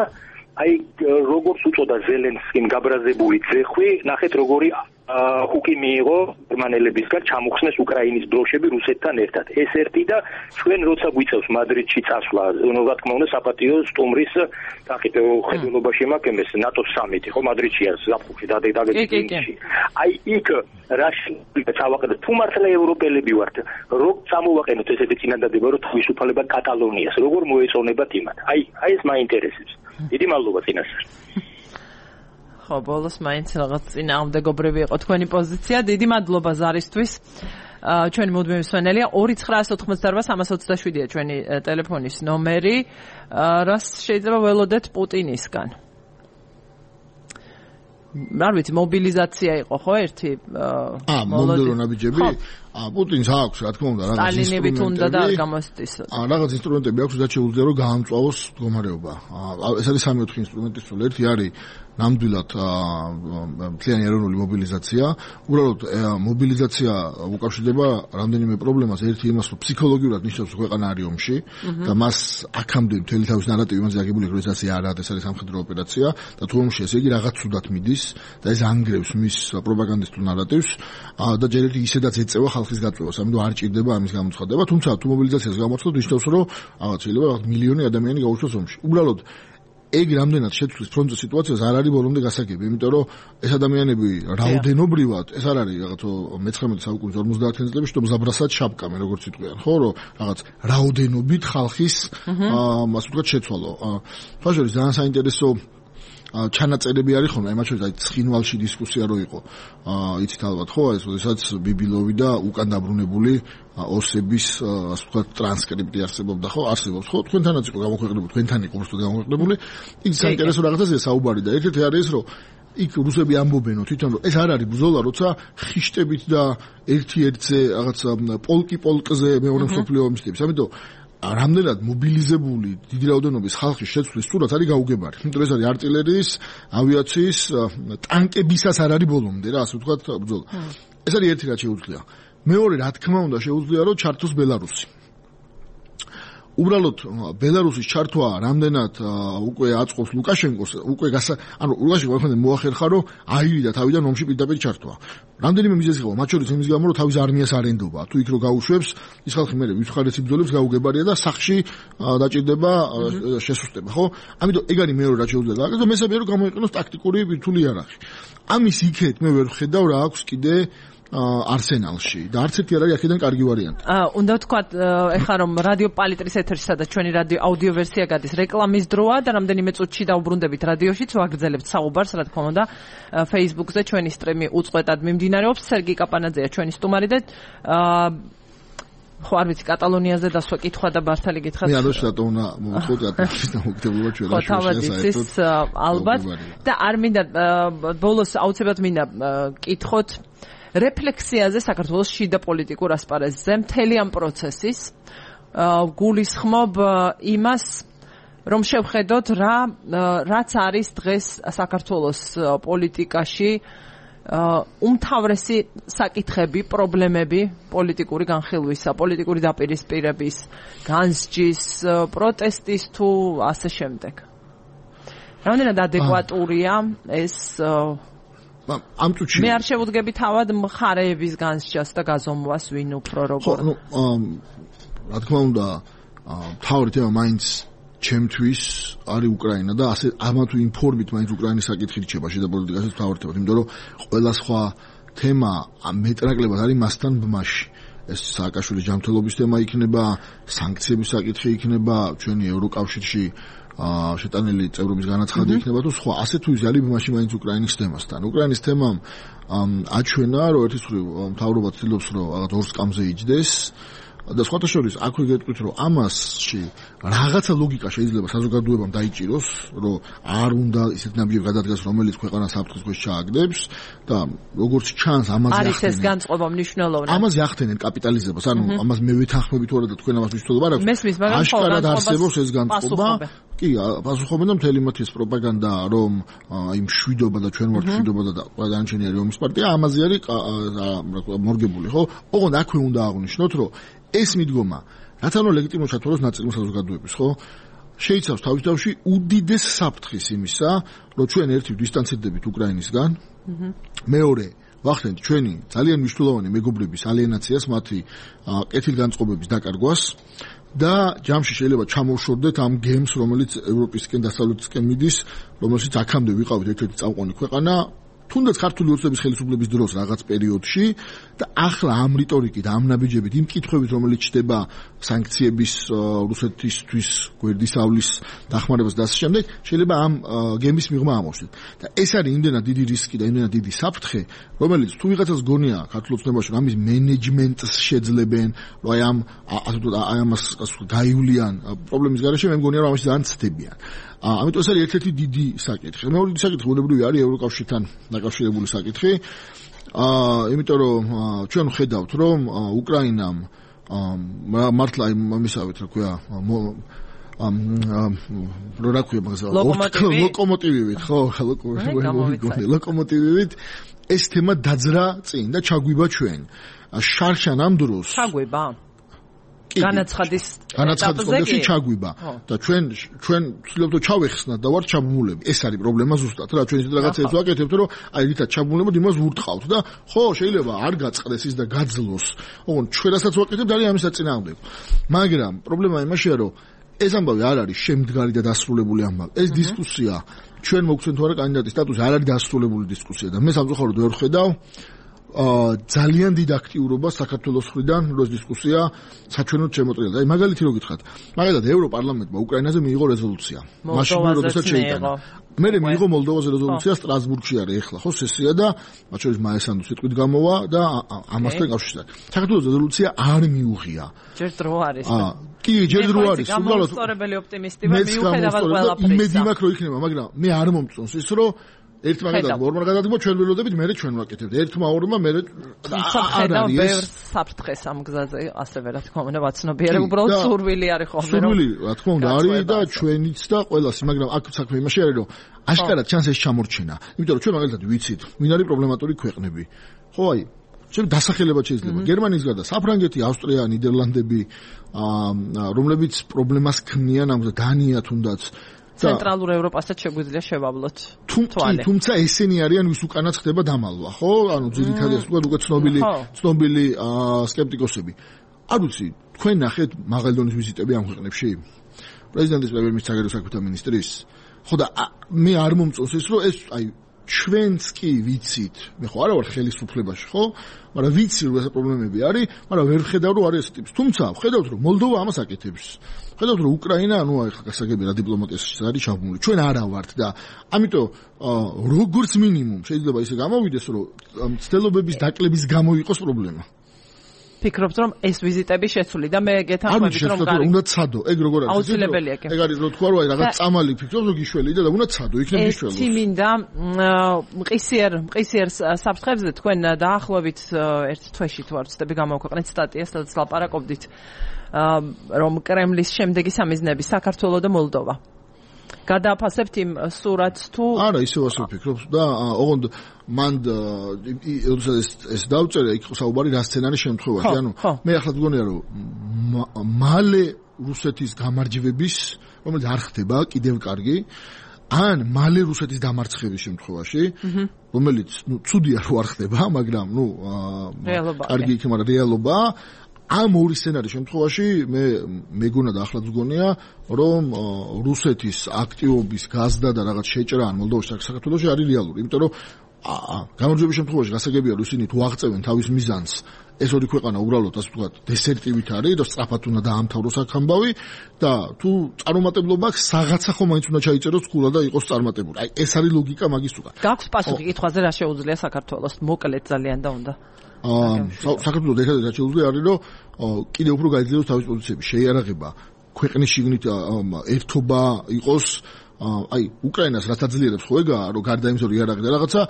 D: აი როგორც უწოდა ზელენსკიმ გაბრაზებული ძეხვი, ნახეთ როგორი ხუკი მიიღო გერმანელებისგან ჩამოხსნეს უკრაინის დროშები რუსეთთან ერთად. ეს ერთი და ჩვენ როცა გვიწევს მადრიდში წასვლა, რა თქმა უნდა საპატიო სტუმრის თახით ხედულობაში მაქვს ეს ნატოს სამიტი, ხო მადრიდშია ზაფხულში დაგეგმილი. აი იქ რა შევაკეთოთ თუ მართლა ევროპელები ვართ, როგორ წამოვაყენოთ ესეთი წინადადება, რომ თავისუფლება კატალონიას, როგორ მოეწონებათ იმათ. აი ეს მაინტერესებს. დიდი მადლობა წინასწარ.
A: ხო, ბოლოს მაინც რაღაც წინააღმდეგობრივი იყო თქვენი პოზიცია. დიდი მადლობა ზარისთვის. ჩვენი მუდმივი მსმენელია 2988-327-ია ჩვენი ტელეფონის ნომერი. რას შეიძლება ველოდეთ პუტინისგან? არ ვიცი, მობილიზაცია იყო ხო ერთი?
C: მომდევნო ნაბიჯები? პუტინს აქვს, რა თქმა უნდა, რაღაც
A: ინსტრუმენტები უნდა და არ გამოსწისო.
C: რაღაც ინსტრუმენტები აქვს და შეუძლია რომ გაამწვავოს მდგომარეობა. ეს არის 3-4 ინსტრუმენტის სულ ერთი არის ნამდვილად მთლიანი ეროვნული მობილიზაცია. უბრალოდ მობილიზაცია უკავშირდება რამდენიმე პრობლემას. ერთი იმას, რომ ფსიქოლოგიურად ნიშნავს ქვეყანა არის ომში და მას აქამდე მთელი თავის ნარატივი იმაზე აგებული, რომ ეს ასე არ არის, ეს არის სამხედრო ოპერაცია და თუ ომში ესე იგი რაღაც ცუდად მიდის და ეს ანგრევს მის პროპაგანდისტულ ნარატივს და ჯერ ერთი ისედაც ეწევა ხალხის გაწევას, ამიტომ არ ჭირდება ამის გამოცხადება. თუმცა თუ მობილიზაციას გამოცხადოთ, ნიშნავს, რომ რაღაც შეიძლება მილიონი ადამიანი გაუშვას ომში. უბრალოდ ეგ რამდენად შეცვლის ფრონტზე სიტუაციას არ არის ბოლომდე გასაგები, იმიტომ რომ ეს ადამიანები რაოდენობრივად, ეს არ არის რაღაც 19 საუკუნის 50-იან წლებში თუ ზაბრასად შაპკამენ, როგორც იტყვიან, ხო, რომ რაღაც რაოდენობით ხალხის ასე ვთქვათ შეცვალო. თვალშორის ძალიან საინტერესო ჩანაწერები არის ხოლმე, მათ შორის აი ცხინვალში დისკუსია რო იყო. იცით ალბათ ხო, ეს როდესაც ბიბილოვი და უკან დაბრუნებული ოსების ასე ვთქვათ ტრანსკრიპტი არსებობდა ხო? არსებობს ხო? თქვენთანაც იყო გამოქვეყნებული, თქვენთან იყო უბრალოდ გამოქვეყნებული. იქ საინტერესო რაღაცაა საუბარი და ერთ-ერთი არის ეს, რომ იქ რუსები ამბობენ თვითონ რომ ეს არ არის ბრძოლა, როცა ხიშტებით და ერთ-ერთზე რაღაც პოლკზე მეორე მსოფლიო ომის ტიპის. ამიტომ რამდენად მობილიზებული დიდი რაოდენობის ხალხის შეცვლის სურათ არის გაუგებარი. იმიტომ ეს არის არტილერიის, ავიაციის, ტანკებისას არ არის ბოლომდე რა, ასე ვთქვათ ბრძოლა. ეს არის ერთი რაც შეუძლია. მეორე რა თქმა უნდა შეუძლია რომ ჩართოს ბელარუსი. უბრალოდ ბელარუსის ჩართვა რამდენად უკვე აწყობს ლუკაშენკოს, უკვე ანუ ლუკაშენკო ახლა მოახერხა რომ აირიდა თავიდან ომში პირდაპირ ჩართვა. რამდენიმე მიზეზი ყო, მათ შორის იმის გამო რომ თავის არმიას არ ენდობა. თუ იქ რო გაუშვებს, ის ხალხი მე ვიხარეს იბრძოლებს გაუგებარია და სახში დაჭირდება შესუსტება, ხო? ამიტომ ეგ არის მეორე რაც შეუძლია გააკეთოს და მესამე რომ გამოიყენოს ტაქტიკური ბირთვული იარაღი. ამის იქეთ მე ვერ ვხედავ რა აქვს კიდე არსენალში და არც ერთი არ არის აქედან კარგი ვარიანტი.
A: უნდა ვთქვათ, ეხლა რომ რადიო პალიტრის ეთერში სადაც ჩვენი რადიო აუდიო ვერსია გადის, რეკლამის დროა და რამდენიმე წუთში დავუბრუნდებით რადიოშიც ვაგრძელებთ საუბარს, რა თქმა უნდა, Facebook-ზე ჩვენი სტრიმი უწყვეტად მიმდინარეობს. სერგი კაპანაძეა ჩვენი სტუმარი და ხო არ ვიცი კატალონიაზე დასვა კითხვა და ბართალი გითხათ.
C: მე არ ვიცი რატომ უნდა მოვუწყვეტ და მოგდებოდა ჩვენ
A: შუაში ალბათ და არ მინდა ბოლოს აუცილებლად მინდა კითხოთ რეფლექსიაზე საქართველოს შიდა პოლიტიკურ ასპარეზზე მთელი ამ პროცესის გულისხმობ იმას რომ შევხედოთ რაც არის დღეს საქართველოს პოლიტიკაში უმთავრესი საკითხები, პრობლემები პოლიტიკური განხილვისა, პოლიტიკური დაპირისპირების, განსჯის, პროტესტის თუ ასე შემდეგ. რამდენად ადეკვატურია ეს
C: ამ წუთში
A: მე არ შევუდგები თავად მხარეების განსჯას და გაზომვას ვინ უფრო როგორ.
C: რა თქმა უნდა, თავი თემა მაინც ჩემთვის არის უკრაინა და ასე ამა თუ იმ ფორმით მაინც უკრაინის საკითხი რჩება შიდა პოლიტიკაში თავი თემა, იმიტომ რომ ყველა სხვა თემა მეტრაკლებად არის მასთან ბმაში. ეს სააკაშვილის ჯანმრთელობის თემა იქნება, სანქციების საკითხი იქნება, ჩვენი ევროკავშირში შეტანილი წევრობის განაცხადი იქნება თუ სხვა. ასე თუ ის არის ბმაში მაინც უკრაინის თემასთან. უკრაინის თემამ აჩვენა, რომ ერთის მხრივ მთავრობა ცდილობს, რომ რაღაც ორ სკამზე იჯდეს და სხვათა შორის აქვე გეტყვით, რომ ამასში რაღაცა ლოგიკა შეიძლება საზოგადოებამ დაიჭიროს, რომ არ უნდა ისეთ ნაბიჯები გადადგას, რომელიც ქვეყანას საფრთხის ქვეშ ჩააგდებს და როგორც ჩანს ამაზე
A: არის ეს განწყობა მნიშვნელოვანი.
C: ამაზე ახდენენ კაპიტალიზებას, ანუ ამას მე ვეთანხმებით ვარ და თქვენ ამას მნიშვნელობა არ აქვს.
A: მესმის, მაგრამ
C: აშკარად არსებობს ეს განწყობა. კი, პასუხობენ და მთელი მათი ეს პროპაგანდა, რომ აი მშვიდობა და ჩვენ ვართ მშვიდობა და ყველანჩენი არის ომის პარტია, ამაზე არის მორგებული, ხო? ოღონდ აქვე უნდა აღვნიშნოთ, რომ ეს მიდგომა რათა უნდა ლეგიტიმურ ჩათვალოს ნაწილმა საზოგადოების, ხო? შეიცავს თავისთავში უდიდეს საფრთხეს იმისა, რომ ჩვენ ერთით დისტანცირდებით უკრაინისგან. მეორე ვახდენთ ჩვენი ძალიან მნიშვნელოვანი მეგობრების ალიენაციას, მათი კეთილგანწყობების დაკარგვას და ჯამში შეიძლება ჩამოვშორდეთ ამ გემს, რომელიც ევროპისკენ დასავლეთისკენ მიდის, რომელშიც აქამდე ვიყავით ერთ-ერთი წამყვანი ქვეყანა, თუნდაც ქართული ოცნების ხელისუფლების დროს რაღაც პერიოდში და ახლა ამ რიტორიკით, ამ ნაბიჯებით, იმ კითხვებით, რომელიც ჩდება სანქციების რუსეთისთვის გვერდისავლის დახმარებას და ასე შემდეგ, შეიძლება ამ გემის მიღმა ამოვსდეთ. და ეს არის იმდენად დიდი რისკი და იმდენად დიდი საფრთხე, რომელიც თუ ვიღაცას გონია ქართულ ოცნებაში, რომ ამის მენეჯმენტს შეძლებენ, რომ აი ამას გაივლიან პრობლემის გარეშე, მე მგონია, რომ ამაში ძალიან ცდებიან. ამიტომ ეს არის ერთ-ერთი დიდი საკითხი. მეორე დიდი საკითხი ბუნებრივი არის ევროკავშირთან დაკავშირებული საკითხი. იმიტომ რომ ჩვენ ვხედავთ, რომ უკრაინამ მართლა ამისავით, რა ქვია, რა ქვია მაგას ლოკომოტივივით, ხო, ლოკომოტივივით ეს თემა დაძრა წინ და ჩაგვიბა ჩვენ. შარშან ამ დროს
A: ჩაგვიბა განაცხადის
C: ეტაპზე ჩაგვიბა და ჩვენ ვცდილობთ ჩავეხსნათ და ვარ ჩაბმულები. ეს არის პრობლემა ზუსტად რა ჩვენ ისეთ რაღაცებს ვაკეთებთ, რომ აი რითაც ჩაბმულებოდ იმას ვურტყავთ და ხო შეიძლება არ გაწყდეს ის და გაძლოს. ოღონდ ჩვენ რასაც ვაკეთებთ არის ამის საწინააღმდეგო. მაგრამ პრობლემა იმაშია, რომ ეს ამბავი არ არის შემდგარი და დასრულებული ამბავი. ეს დისკუსია ჩვენ მოგცემთ თუ არა კანდიდატის სტატუსი არ არის დასრულებული დისკუსია და მე სამწუხაროდ ვერ ხედავ ძალიან დიდ აქტიურობას საქართველოს მხრიდან, რომ ეს დისკუსია საჩვენოდ შემოწირულდა. აი მაგალითი რო გითხრათ, მაგალითად ევროპარლამენტმა უკრაინაზე მიიღო რეზოლუცია. მაშინ როდესაც შეიტანა. მე მიიღო მოლდოვაზე რეზოლუცია სტრასბურგში არის ახლა, ხო, სესია და მათ შორის მაესანოს სიტყვით გამოვა და ამასთან კავშირად. საქართველოს რეზოლუცია არ მიუღია.
A: ჯერ დრო არის.
C: კი, ჯერ დრო არის.
A: უბრალოდ სწორებელი ოპტიმისტი ვარ, მიუხედავად ყველაფრისა.
C: იმედი მაქვს, რომ იქნება, მაგრამ მე არ მომწონს ის, რომ ერთმა გადადგმა, ორმა გადადგმა, ჩვენ ველოდებით, მე ჩვენ ვაკეთებთ. ერთმა ორმა მე
A: არ არის ეს საფრთხეს ამ გზაზე, ასევე რა თქმა უნდა, ვაცნობიერებ, უბრალოდ სურვილი არის ხოლმე.
C: სურვილი, რა თქმა უნდა, არის და ჩვენიც და ყველას, მაგრამ აქ საქმე იმაში არის, რომ აშკარად ჩანს ეს ჩამორჩენა. იმიტომ რომ ჩვენ მაგალითად ვიცით, ვინ არის პრობლემატური ქვეყნები. ხო, აი, ჩვენ დასახელებად შეიძლება. გერმანიის გარდა საფრანგეთი, ავსტრია, ნიდერლანდები, რომლებიც პრობლემას ქმნიან ამ დანია თუნდაც
A: ცენტრალურ ევროპასაც შეგვიძლია შევავლოთ თვალე.
C: თუმცა ესენი არიან ვის უკანაც ხდება დამალვა, ხო? ანუ ძირითადად ასე ვთქვათ, უკვე ცნობილი სკეპტიკოსები. არ ვიცი, თქვენ ნახეთ მაღალი დონის ვიზიტები ამ ქვეყნებში? პრეზიდენტის, პრემიერ-მინისტრის, საგარეო საქმეთა მინისტრის. ხო და მე არ მომწონს ის, რომ ეს აი ჩვენც კი ვიცით, მე ხო არა ვარ ხელისუფლებაში, ხო? მაგრამ ვიცი რომ ეს პრობლემები არის, მაგრამ ვერ ვხედავ რომ არის ეს ტიპის. თუმცა ვხედავთ რომ მოლდოვა ამას აკეთებს. ვხედავთ რომ უკრაინა, ანუ აი გასაგები რა დიპლომატიაში არის ჩაბმული. ჩვენ არა ვართ და ამიტომ როგორც მინიმუმ შეიძლება ისე გამოვიდეს რომ ცდილობების დაკლების გამო იყოს პრობლემა.
A: ფიქრობთ რომ ეს ვიზიტები შეცვლი და მე გეთანხმებით რომ
C: გარი უნდა ცადო ეგ როგორ არის
A: აუცილებელია
C: ეგ არის რო თქვა რომ აი რაღაც წამალი ფიქრობს რომ გიშველი და უნდა ცადო იქნებ გიშველოს
A: ეს მინდა მყისიერ საფრთხებზე თქვენ დაახლოებით ერთ თვეში თუ არ ვცდები გამოვქვეყნეთ სტატიას სადაც ლაპარაკობდით რომ კრემლის შემდეგი სამიზნები საქართველო და მოლდოვა გადააფასებთ იმ სურათს თუ
C: არა ისევ ასე ვფიქრობ და ოღონდ მან ეს დავწერე იქ საუბარი რა სცენარის შემთხვევაში ანუ მე ახლა გგონია რომ მალე რუსეთის გამარჯვების რომელიც არ ხდება კიდევ კარგი ან მალე რუსეთის დამარცხების შემთხვევაში რომელიც ნუ ცუდია რომ არ ხდება მაგრამ ნუ კარგი იქნება მაგრამ რეალობა ამ ორი სცენარის შემთხვევაში მე მეგონა და ახლაც გგონია რომ რუსეთის აქტივობის გაზდა და რაღაც შეჭრა ან მოლდოვაში საქართველოში არის რეალური იმიტომ რომ გამარჯვების შემთხვევაში გასაგებია რომ ისინი თუ აღწევენ თავის მიზანს ეს ორი ქვეყანა უბრალოდ ასე ვთქვათ დესერტივით არის და სწრაფად უნდა დაამთავროს აქ ამბავი და თუ წარუმატებლობა აქვს რაღაცა ხომ მაინც უნდა ჩაიწეროს ქულა და იყოს წარმატებული აი ეს არის ლოგიკა მაგის უკან
A: გაქვს პასუხი კითხვაზე რა შეუძლია საქართველოს მოკლედ ძალიან და უნდა
C: საქართველოს ერთადერთი რაც შეუძლია არის რომ კიდევ უფრო გაიძლიეროს თავის პოზიციები შეიარაღება ქვეყნის შიგნით ერთობა იყოს აი უკრაინას რაც აძლიერებს ხო ეგაა რომ გარდა იმისა რომ იარაღი და რაღაცა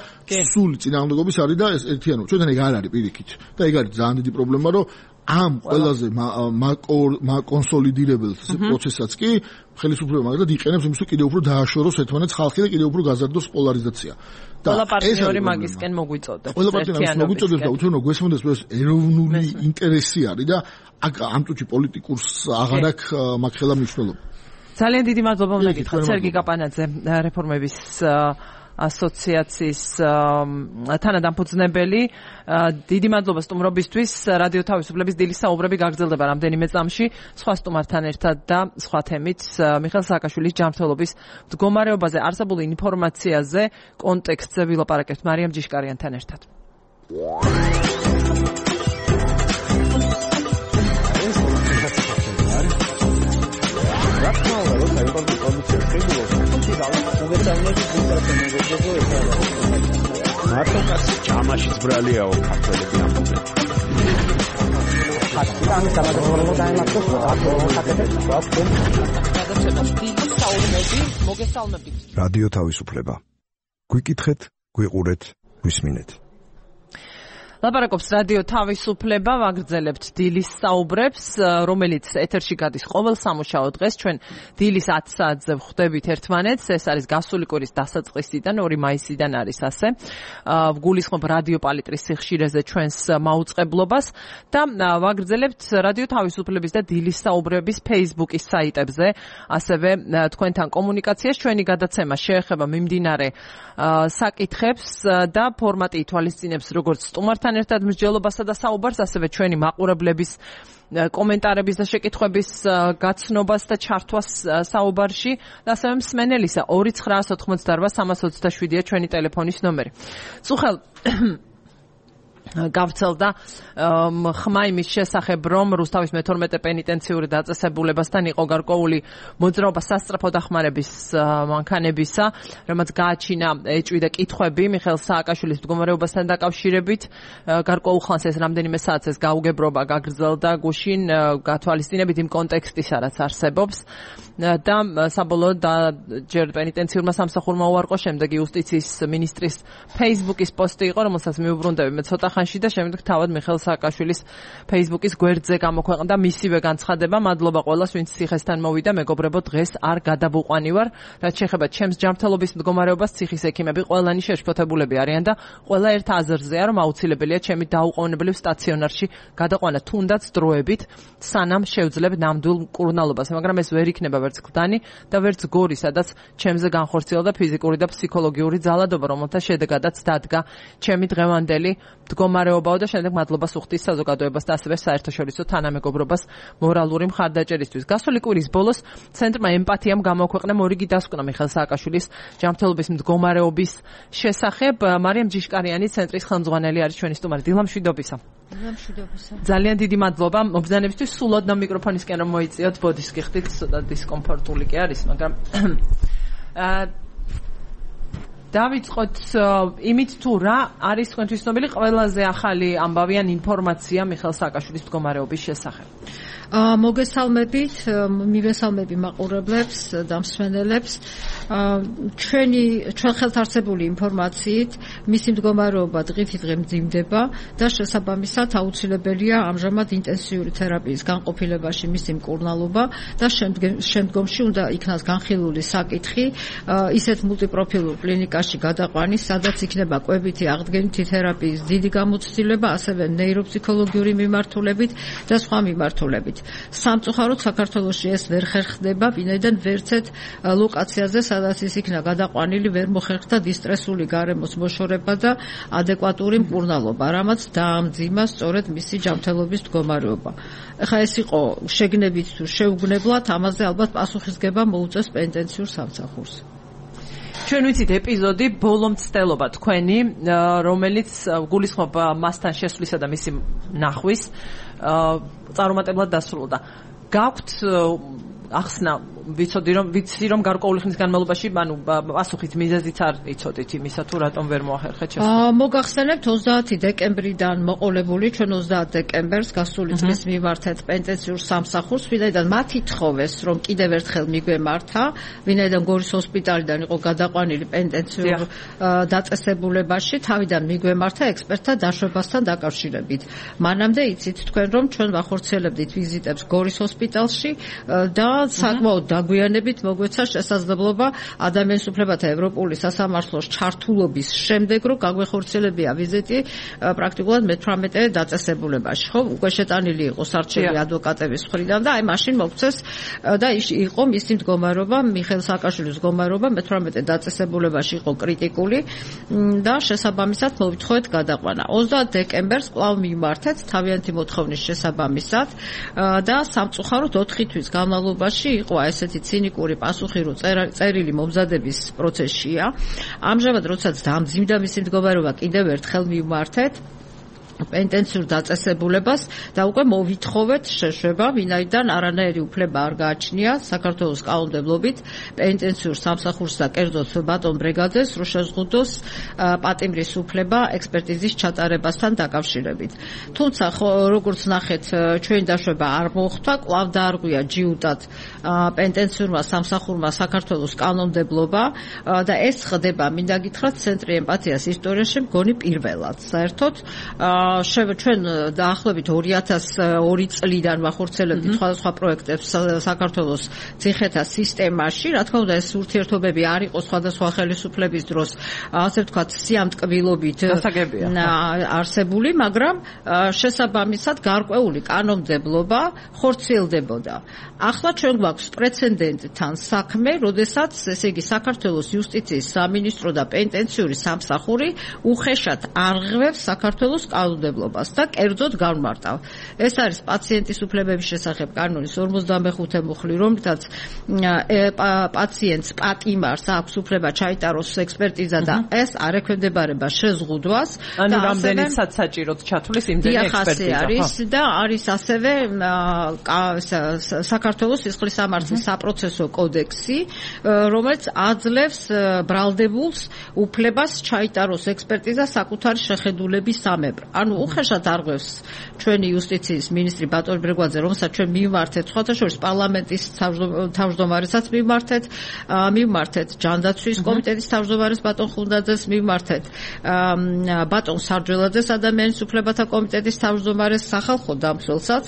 C: სული წინააღმდეგობის არის და ეს ერთიანობა ჩვენთან ეგ არ არის პირიქით და ეგ არის ძალიან დიდი პრობლემა რომ ამ ყველაზე კონსოლიდირებელ პროცესსაც კი ხელისუფლება მაგალითად იყენებს იმის რომ კიდევ უფრო დააშოროს ერთმანეთს ხალხი და კიდევ უფრო გაზარდოს პოლარიზაცია.
A: ყველა პარტნიორი მაგისკენ მოგვიწოდებს.
C: ყველა პარტნიორი მოგვიწოდებს და უცნაური გვესმოდეს ეს ეროვნული ინტერესი არის და ამ წუთში პოლიტიკურს აღარ აქვს მაგ ხელა მნიშვნელობა.
A: ძალიან დიდი მადლობა უნდა გითხრათ სერგი კაპანაძე რეფორმების ასოციაციის თანადამფუძნებელი. დიდი მადლობა სტუმრობისთვის. რადიო თავისუფლების დილის საუბრები გაგრძელდება რამდენიმე წამში სხვა სტუმართან ერთად და სხვა თემით. მიხეილ სააკაშვილის ჯანმრთელობის მდგომარეობაზე არსებულ ინფორმაციაზე კონტექსტზე ვილაპარაკებთ მარიამ ჯიშკარიანთან ერთად.
E: მარტოკას ჯამაშიც ბრალიაო ქართველები ამბობენ. რადიო თავისუფლება. გვიკითხეთ, გვიყურეთ, გვისმინეთ.
A: ლაპარაკობს რადიო თავისუფლება, ვაგრძელებთ დილის საუბრებს, რომელიც ეთერში გადის ყოველ სამუშაო დღეს. ჩვენ დილის 10 საათზე ვხვდებით ერთმანეთს. ეს არის გასული კვირის დასაწყისიდან 2 მაისიდან არის ასე. ვგულისხმობ რადიო პალიტრის სიხშირეზე ჩვენს მაუწყებლობას და ვაგრძელებთ რადიო თავისუფლების და დილის საუბრების Facebook-ის საიტებზე, ასევე თქვენთან კომუნიკაციას. ჩვენი გადაცემა შეეხება მიმდინარე საკითხებს და ფორმატი ითვალისწინებს როგორც სტუმართან ერთად მსჯელობასა და საუბარს, ასევე ჩვენი მაყურებლების კომენტარების და შეკითხვების გაცნობას და ჩართვას საუბარში და ასევე მსმენელისა 2988327-ია ჩვენი ტელეფონის ნომერი. წუხელ გავცელდა ხმა იმის შესახებ, რომ რუსთავის მე-12 პენიტენციური დაწესებულებასთან იყო გარკვეული მოძრაობა სასწრაფო დახმარების მანქანებისა, რომელიც გააჩინა ეჭვი და კითხვები მიხეილ სააკაშვილის მდგომარეობასთან დაკავშირებით. გარკვეულ ხანს ეს რამდენიმე საათს ეს გაუგებრობა გაგრძელდა გუშინ გათვალისწინებით იმ კონტექსტისა, რაც არსებობს და საბოლოოდ ჯერ პენიტენციურმა სამსახურმა უარყო, შემდეგ იუსტიციის მინისტრის Facebook-ის პოსტი იყო, რომელსაც მიუბრუნდები მე ცოტა ხანში და შემდეგ თავად მიხეილ სააკაშვილის Facebook-ის გვერდზე გამოქვეყნდა მისივე განცხადება. მადლობა ყველას, ვინც ციხესთან მოვიდა, მეგობრებო, დღეს არ გადავუყვანი ვარ. რაც შეეხება ჩემს ჯანმრთელობის მდგომარეობას, ციხის ექიმები ყველანი შეშფოთებულები არიან და ყველა ერთ აზრზეა, რომ აუცილებელია ჩემი დაუყოვნებლივ სტაციონარში გადაყვანა თუნდაც დროებით, სანამ შევძლებ ნამდვილ მკურნალობას. მაგრამ ეს ვერ იქნება ვერც გლდანი და ვერც გორი, სადაც ჩემზე განხორციელდა ფიზიკური და ფსიქოლოგიური ძალადობა, რომელთა შედეგადაც დადგა ჩემი დღევანდელი მდგომარეობაო და შემდეგ მადლობას უხდის საზოგადოებას და ასევე საერთაშორისო თანამეგობრობას მორალური მხარდაჭერისთვის. გასული კვირის ბოლოს ცენტრმა ემპათიამ გამოქვეყნა მორიგი დასკვნა მიხეილ სააკაშვილის ჯანმრთელობის მდგომარეობის შესახებ. მარიამ ჯიშკარიანი ცენტრის ხელმძღვანელი არის ჩვენი სტუმარი. დილამშვიდობისა. ძალიან დიდი მადლობა მობრძანებისთვის. სულ ოდნავ მიკროფონისკენ რომ მოიწიოთ, ბოდის გიხდით, ცოტა დისკომფორტული კი არის, მაგრამ დავიწყოთ იმით თუ რა არის თქვენთვის ცნობილი ყველაზე ახალი ამბავი ან ინფორმაცია მიხეილ სააკაშვილის მდგომარეობის შესახებ.
F: მოგესალმებით, მივესალმები მაყურებლებს და მსმენელებს. ჩვენ ხელთ არსებული ინფორმაციით მისი მდგომარეობა დღითიდღე მძიმდება და შესაბამისად აუცილებელია ამჟამად ინტენსიური თერაპიის განყოფილებაში მისი მკურნალობა და შემდგომში უნდა იქნას განხილული საკითხი ისეთ მულტიპროფილურ კლინიკაში გადაყვანის, სადაც იქნება კვებითი აღდგენითი თერაპიის დიდი გამოცდილება, ასევე ნეიროფსიქოლოგიური მიმართულებით და სხვა მიმართულებით. სამწუხაროდ საქართველოში ეს ვერ ხერხდება, ვინაიდან ვერცეთ ლოკაციაზე, სადაც ის იქნა გადაყვანილი, ვერ მოხერხდა დისტრესული გარემოს მოშორება და ადეკვატური მკურნალობა, რამაც დაამძიმა სწორედ მისი ჯანმრთელობის მდგომარეობა. ეხლა ეს იყო შეგნებით თუ შეუგნებლად, ამაზე ალბათ პასუხისგება მოუწევს პენიტენციურ სამსახურს.
A: ჩვენ ვიცით ეპიზოდი ბოლო მცდელობა თქვენი, რომელიც გულისხმობ მასთან შესვლისა და მისი ნახვის წარუმატებლად დასრულდა. გაქვთ ახსნა ვიცი რომ გარკვეული ხნის განმავლობაში, პასუხით მიზეზიც არ იცოდით იმისა თუ რატომ ვერ მოახერხეთ შესაძლებლობა.
F: მოგახსენებთ 30 დეკემბრიდან მოყოლებული ჩვენ 30 დეკემბერს გასული წლის მივართეთ პენტენსიურ სამსახურს, ვინაიდან მათ ითხოვეს რომ კიდევ ერთხელ მიგვემართა, ვინაიდან გორის ჰოსპიტალიდან იყო გადაყვანილი პენტენსიურ დაწესებულებაში, თავიდან მიგვემართა ექსპერტთა დაშვებასთან დაკავშირებით. მანამდე იცით თქვენ რომ ჩვენ ვახორციელებდით ვიზიტებს გორის ჰოსპიტალში და საკმაოდ დაგვიანებით მოგვეცა შესაძლებლობა ადამიანის უფლებათა ევროპული სასამართლოს ჩართულობის შემდეგ რომ გაგვეხორციელებია ვიზიტი პრაქტიკულად მე-18 დაწესებულებაში. ხო, უკვე შეტანილი იყო სარჩელი ადვოკატების მხრიდან და აი მაშინ მოგცეს და იყო მისი მდგომარეობა, მიხეილ სააკაშვილის მდგომარეობა მე-18 დაწესებულებაში იყო კრიტიკული და შესაბამისად მოვითხოვეთ გადაყვანა. 30 დეკემბერს კვლავ მიმართეთ თავიანთი მოთხოვნის შესაბამისად და სამწუხაროდ 4 თვის განმავლობაში იყო ესეთი ცინიკური პასუხი, რომ წერილი მომზადების პროცესშია. ამჟამად როდესაც დამძიმდა მისი მდგომარეობა, კიდევ ერთხელ მიმართეთ პენტენსიურ დაწესებულებას და უკვე მოვითხოვეთ შეშვება, ვინაიდან არანაირი უფლება არ გააჩნია საქართველოს კანონმდებლობით პენტენსიურ სამსახურს და კერძოდ ბატონ ბრეგაძეს, რომ შეზღუდოს პატიმრის უფლება ექსპერტიზის ჩატარებასთან დაკავშირებით. თუმცა როგორც ნახეთ, ჩვენი დაშვება არ მოხდა, კვლავ დაარღვია ჯიუტად პენტენსიურმა სამსახურმა საქართველოს კანონმდებლობა და ეს ხდება, მინდა გითხრათ, ცენტრი ემპათიას ისტორიაში მგონი პირველად. საერთოდ ჩვენ დაახლოებით 2002 წლიდან ვახორციელებდით სხვადასხვა პროექტებს საქართველოს ციხეთა სისტემაში. რა თქმა უნდა, ეს ურთიერთობები არ იყო სხვადასხვა ხელისუფლების დროს, ასე ვთქვათ, სიამტკბილობით არსებული, მაგრამ შესაბამისად გარკვეული კანონმდებლობა ხორციელდებოდა. ახლა ჩვენ გვაქვს პრეცედენტთან საქმე, როდესაც ესე იგი საქართველოს იუსტიციის სამინისტრო და პენტენსიური სამსახური უხეშად არღვევს საქართველოს კანონმდებლობას და კერძოდ განმარტავ. ეს არის პაციენტის უფლებების შესახებ კანონის 55 მუხლი, რომლითაც პაციენტს პატიმარს აქვს უფლება ჩაიტაროს ექსპერტიზა და ეს არ ექვემდებარება შეზღუდვას.
A: ანუ რამდენიცაც საჭიროდ ჩათვლის იმდენი ექსპერტიზა.
F: არის და არის ასევე საქართველოს სისხლისამართლის საპროცესო კოდექსი, რომელიც აძლევს ბრალდებულს უფლებას ჩაიტაროს ექსპერტიზა საკუთარი შეხედულების სამებრ. ანუ უხეშად არღვევს ჩვენი იუსტიციის მინისტრი ბატონ ბრეგვაძე, რომელსაც ჩვენ მიმართეთ სხვადასხვა პარლამენტის თავმჯდომარესაც მიმართეთ ჯანდაცვის კომიტეტის თავმჯდომარეს ბატონ ხუნდაძეს მიმართეთ ბატონ სარჯველაძეს ადამიანის უფლებათა კომიტეტის თავმჯდომარეს სახალხო დამცველსაც,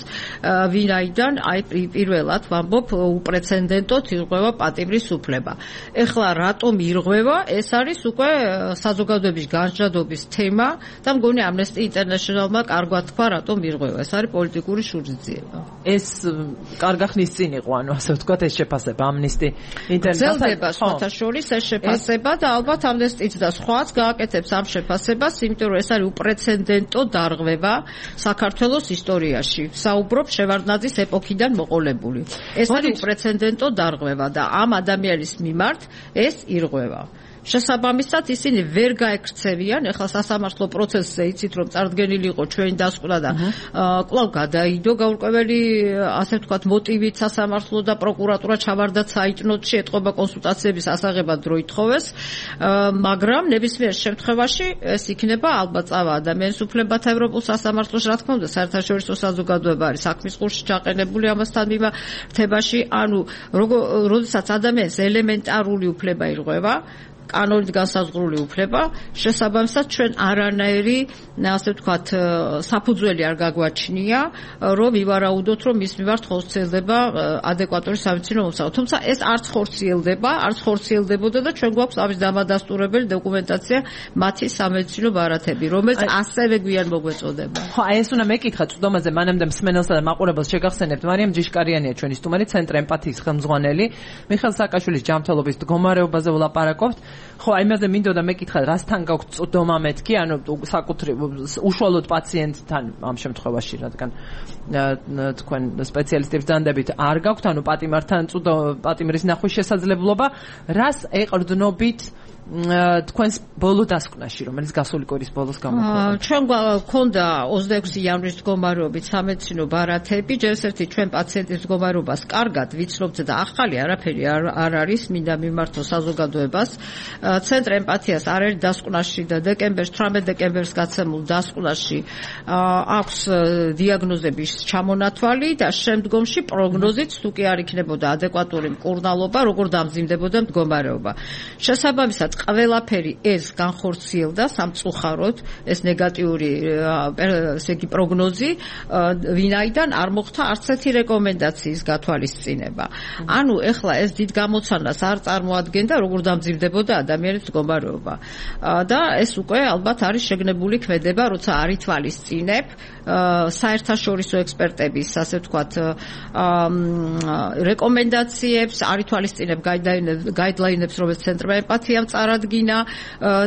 F: ვინაიდან აი პირველად ვამბობ უპრეცედენტოდ ირღვევა პატიმრის უფლება. ეხლა რატომ ირღვევა? ეს არის უკვე საზოგადოების განსჯადობის თემა და მგონი ამნესტი ინტერნეშნალმა კარგად თქვა, რატომ ირღვევა. ეს არის პოლიტიკური შურისძიება.
A: ეს კარგა ხნის წინ იყო, ანუ ასე ვთქვათ, ეს შეფასება ამნესტი ინტერნეტთან
F: გრძელდება სხვათა შორის ეს შეფასება და ალბათ ამნესტიც და სხვაც გააკეთებს ამ შეფასებას, იმიტომ რომ ეს არის უპრეცედენტო დარღვევა საქართველოს ისტორიაში. საუბრობ შევარდნაძის ეპოქიდან მოყოლებული. ეს არის უპრეცედენტო დარღვევა და ამ ადამიანის მიმართ ეს ირღვევა. შესაბამისად ისინი ვერ გაექცევიან, ეხლა სასამართლო პროცესზე იცით რომ წარდგენილი იყო ჩვენი დასკვნა და კვლავ გადაიდო გაურკვეველი, ასე ვთქვათ, მოტივით სასამართლო და პროკურატურა ჩავარდა საიტნოტში, ეთყობა კონსულტაციების ასაღებად დრო ითხოვეს, მაგრამ ნებისმიერ შემთხვევაში ეს იქნება ალბათ წავა ადამიანის უფლებათა ევროპულ სასამართლოში, რა თქმა უნდა, საერთაშორისო საზოგადოება არის საქმის ყურში ჩაყენებული ამასთან მიმართებაში, ანუ როდესაც ადამიანს ელემენტარული უფლება ირღვევა, კანონით განსაზღვრული უფლება, შესაბამისად ჩვენ არანაირი, ასე ვთქვათ, საფუძველი არ გაგვაჩნია, რომ ვივარაუდოთ, რომ მის მიმართ ხორციელდება ადეკვატური სამედიცინო მომსახურება. თუმცა ეს არც ხორციელდებოდა და ჩვენ გვაქვს ამის დამადასტურებელი დოკუმენტაცია, მათი სამედიცინო ბარათები, რომელიც ასევე გვიან მოგვეწოდება.
A: ხო, აი ეს უნდა მეკითხა წვდომაზე, მანამდე მსმენელსა და მაყურებელს შეგახსენებთ, მარიამ ჯიშკარიანია ჩვენი სტუმარი, ცენტრი ემპათიის ხელმძღვანელი, მიხეილ სააკაშვილის ჯანმრთელობის მდგომარეობაზე ვლაპარაკობთ. ხო, აი იმაზე მინდოდა მეკითხა, რასთან გაქვთ წვდომა მეთქი, ანუ საკუთრივ უშუალოდ პაციენტთან ამ შემთხვევაში, რადგან თქვენ სპეციალისტებს დანდებით არ გაქვთ, ანუ პატიმრთან პატიმრის ნახვის შესაძლებლობა, რას ეყრდნობით თქვენს ბოლო დასკვნაში, რომელიც გასული კვირის ბოლოს გამოქვეყნდა.
F: ჩვენ გვქონდა 26 იანვრის მდგომარეობით სამედიცინო ბარათები, ჯერ ერთი ჩვენ პაციენტის მდგომარეობას კარგად ვიცნობთ და ახალი არაფერი არ არის, მინდა მიმართო საზოგადოებას. ცენტრ ემპათიას არ არის დასკვნაში და 18 დეკემბერს გაცემულ დასკვნაში აქვს დიაგნოზების ჩამონათვალი და შემდგომში პროგნოზით თუ კი არ იქნებოდა ადეკვატური მკურნალობა, როგორ დამძიმდებოდა მდგომარეობა. შესაბამისად, ყველაფერი ეს განხორციელდა სამწუხაროდ, ეს ნეგატიური ესე იგი პროგნოზი, ვინაიდან არ მოხდა არც ერთი რეკომენდაციის გათვალისწინება. ანუ ეხლა ეს დიდ გამოცანას არ წარმოადგენდა, როგორ დამძიმდებოდა ადამიანის მდგომარეობა. და ეს უკვე ალბათ არის შეგნებული ქმედება, როცა არ ითვალისწინებ საერთაშორისო ექსპერტების, ასე ვთქვათ, რეკომენდაციებს, არ ითვალისწინებ გაიდლაინებს, რომელიც ცენტრმა ემპათიამ წარადგინა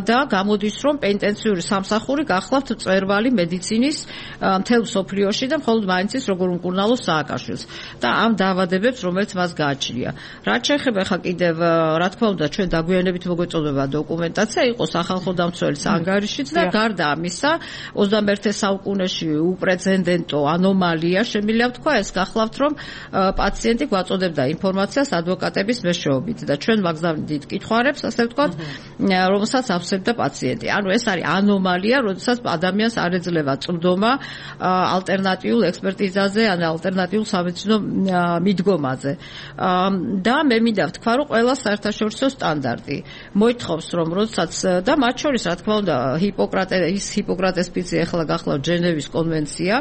F: და გამოდის, რომ პენტენციური სამსახური გახლავთ მწვერვალი მედიცინის მთელ მსოფლიოში და მხოლოდ მაინც ის როგორ უმკურნალოს სააკაშვილს და ამ დაავადებებს, რომელიც მას გააჩნია. რაც შეეხება ხა კიდევ, რა თქმა უნდა, ჩვენ დაგვიანებით მოგვეწოდება დოკუმენტაცია, იყო სახალხო დამცველის ანგარიშიც და გარდა ამისა, 21 საუკუნეში უპრეცედენტო ანომალია, შემიძლია ვთქვა, ეს გახლავთ, რომ პაციენტი გვაწოდებდა ინფორმაციას ადვოკატების მეშვეობით და ჩვენ მაგზავნით კითხვარებს, ასე ვთქვათ, რომელსაც აფსებდა პაციენტი. ანუ ეს არის ანომალია, როდესაც ადამიანს არ ეძლევა წვდომა ალტერნატიულ ექსპერტიზაზე, ან ალტერნატიულ სამედიცინო მიდგომაზე. და მე მინდა ვთქვა, რომ ყველა საერთაშორისო სტანდარტი მოითხოვს, რომ როდესაც და მათ შორის, რა თქმა უნდა, ჰიპოკრატეს ფიცი ახლა გახლავთ ჟენევის კონვენცია,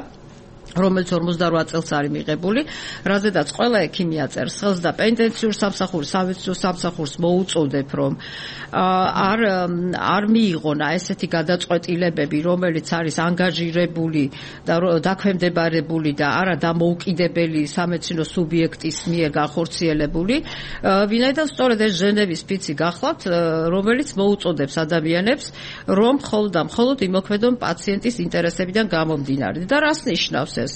F: რომელიც 48 წელს არის მიღებული, რაზედაც ყველა ექიმი აწერს ხელს და პენტენციურ სამსახურს, სამედიცინო სამსახურს მოუწოდებ, რომ არ მიიღონა ესეთი გადაწყვეტილებები, რომელიც არის ანგაჟირებული და დაქვემდებარებული და არა დამოუკიდებელი სამედიცინო სუბიექტის მიერ განხორციელებული, ვინაიდან სწორედ ეს ჟენევის ფიცი გახლავთ, რომელიც მოუწოდებს ადამიანებს, რომ მხოლოდ და მხოლოდ იმოქმედონ პაციენტის ინტერესებიდან გამომდინარე. და რას ნიშნავს ეს?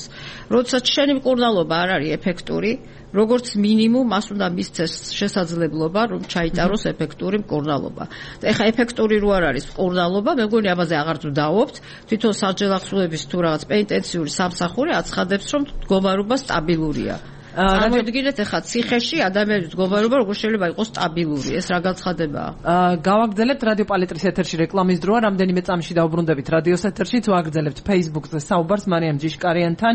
F: როდესაც შენი მკურნალობა არ არის ეფექტური, როგორც მინიმუმ მას უნდა მისცეს შესაძლებლობა, რომ ჩაიტაროს ეფექტური მკურნალობა. და ეხლა ეფექტური რო არ არის მკურნალობა, მე მგონი ამაზე აღარ ვდაობთ, თვითონ საჯელახსოების თუ რაღაც პენტენციური სამსახური აცხადებს, რომ მდგომარეობა სტაბილურია. წარმოიდგინეთ ეხლა ციხეში ადამიანის მდგომარეობა როგორ შეიძლება იყოს სტაბილური, ეს რა განცხადებაა?
A: გავაგრძელებთ რადიო პალიტრის ეთერში რეკლამის დროა, რამდენიმე წამში დავუბრუნდებით რადიოს ეთერშიც, ვაგრძელებთ Facebook-ზე საუბარს მარიამ ჯიშკარიანთან.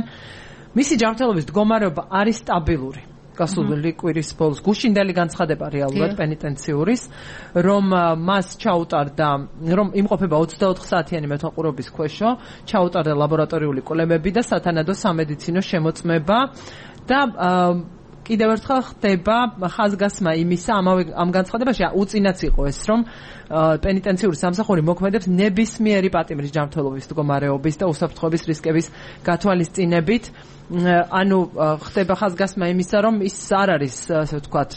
A: მისი ჯანმრთელობის მდგომარეობა არის სტაბილური. გასული კვირის ბოლოს გუშინდელი განცხადება რეალურად პენიტენციურის, რომ მას ჩაუტარდა, რომ იმყოფება 24 საათიანი მეთვალყურობის ქვეშო, ჩაუტარდა ლაბორატორიული კვლევები და სათანადო სამედიცინო შემოწმება და კიდევ ერთხელ ხდება ხაზგასმა იმისა ამ განცხადებაში უწინაც იყო ეს, რომ პენიტენციური სამსახური მოქმედებს ნებისმიერი პატიმრის ჯანმრთელობის მდგომარეობის და უსაფრთხოების რისკების გათვალისწინებით. ანუ ხდება ხაზგასმა იმისა, რომ ის არ არის, ასე ვთქვათ,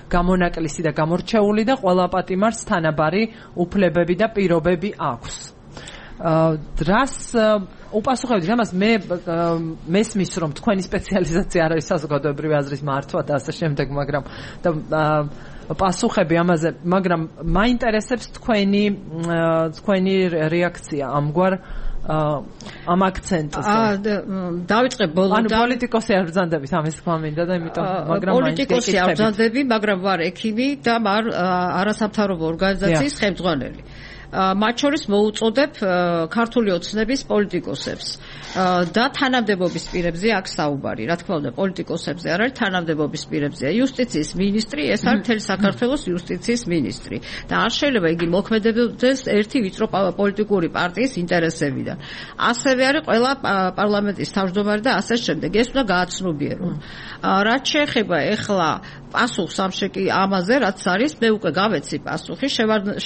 A: გამონაკლისი და გამორჩეული და ყველა პატიმარს თანაბარი უფლებები და პირობები აქვს. რას უპასუხებთ ამას? მე მესმის, რომ თქვენი სპეციალიზაცია არ არის საზოგადოებრივი აზრის მართვა და ასე შემდეგ, მაგრამ და პასუხები ამაზე, მაგრამ მაინტერესებს თქვენი რეაქცია ამგვარ ამ აქცენტზე.
F: დავიწყე ბოლოდან.
A: ანუ პოლიტიკოსი არ ბრძანდებით ამის თქვა მინდა და იმიტომ, მაგრამ
F: პოლიტიკოსი არ ბრძანდები, მაგრამ ვარ ექიმი და ვარ არასამთავრობო ორგანიზაციის ხელმძღვანელი. მათ შორის მოუწოდებ ქართული ოცნების პოლიტიკოსებს და თანამდებობის პირებზე აქ საუბარი. რა თქმა უნდა, პოლიტიკოსებზე არ არის, თანამდებობის პირებზეა. იუსტიციის მინისტრი, ეს არის მთელი საქართველოს იუსტიციის მინისტრი და არ შეიძლება იგი მოქმედებდეს ერთი ვიწრო პოლიტიკური პარტიის ინტერესებიდან. ასევე არის ყველა პარლამენტის თავმჯდომარე და ასე შემდეგ. ეს უნდა გააცნობიერონ. რაც შეეხება ეხლა პასუხს ამაზე, რაც არის, მე უკვე გავეცი პასუხი.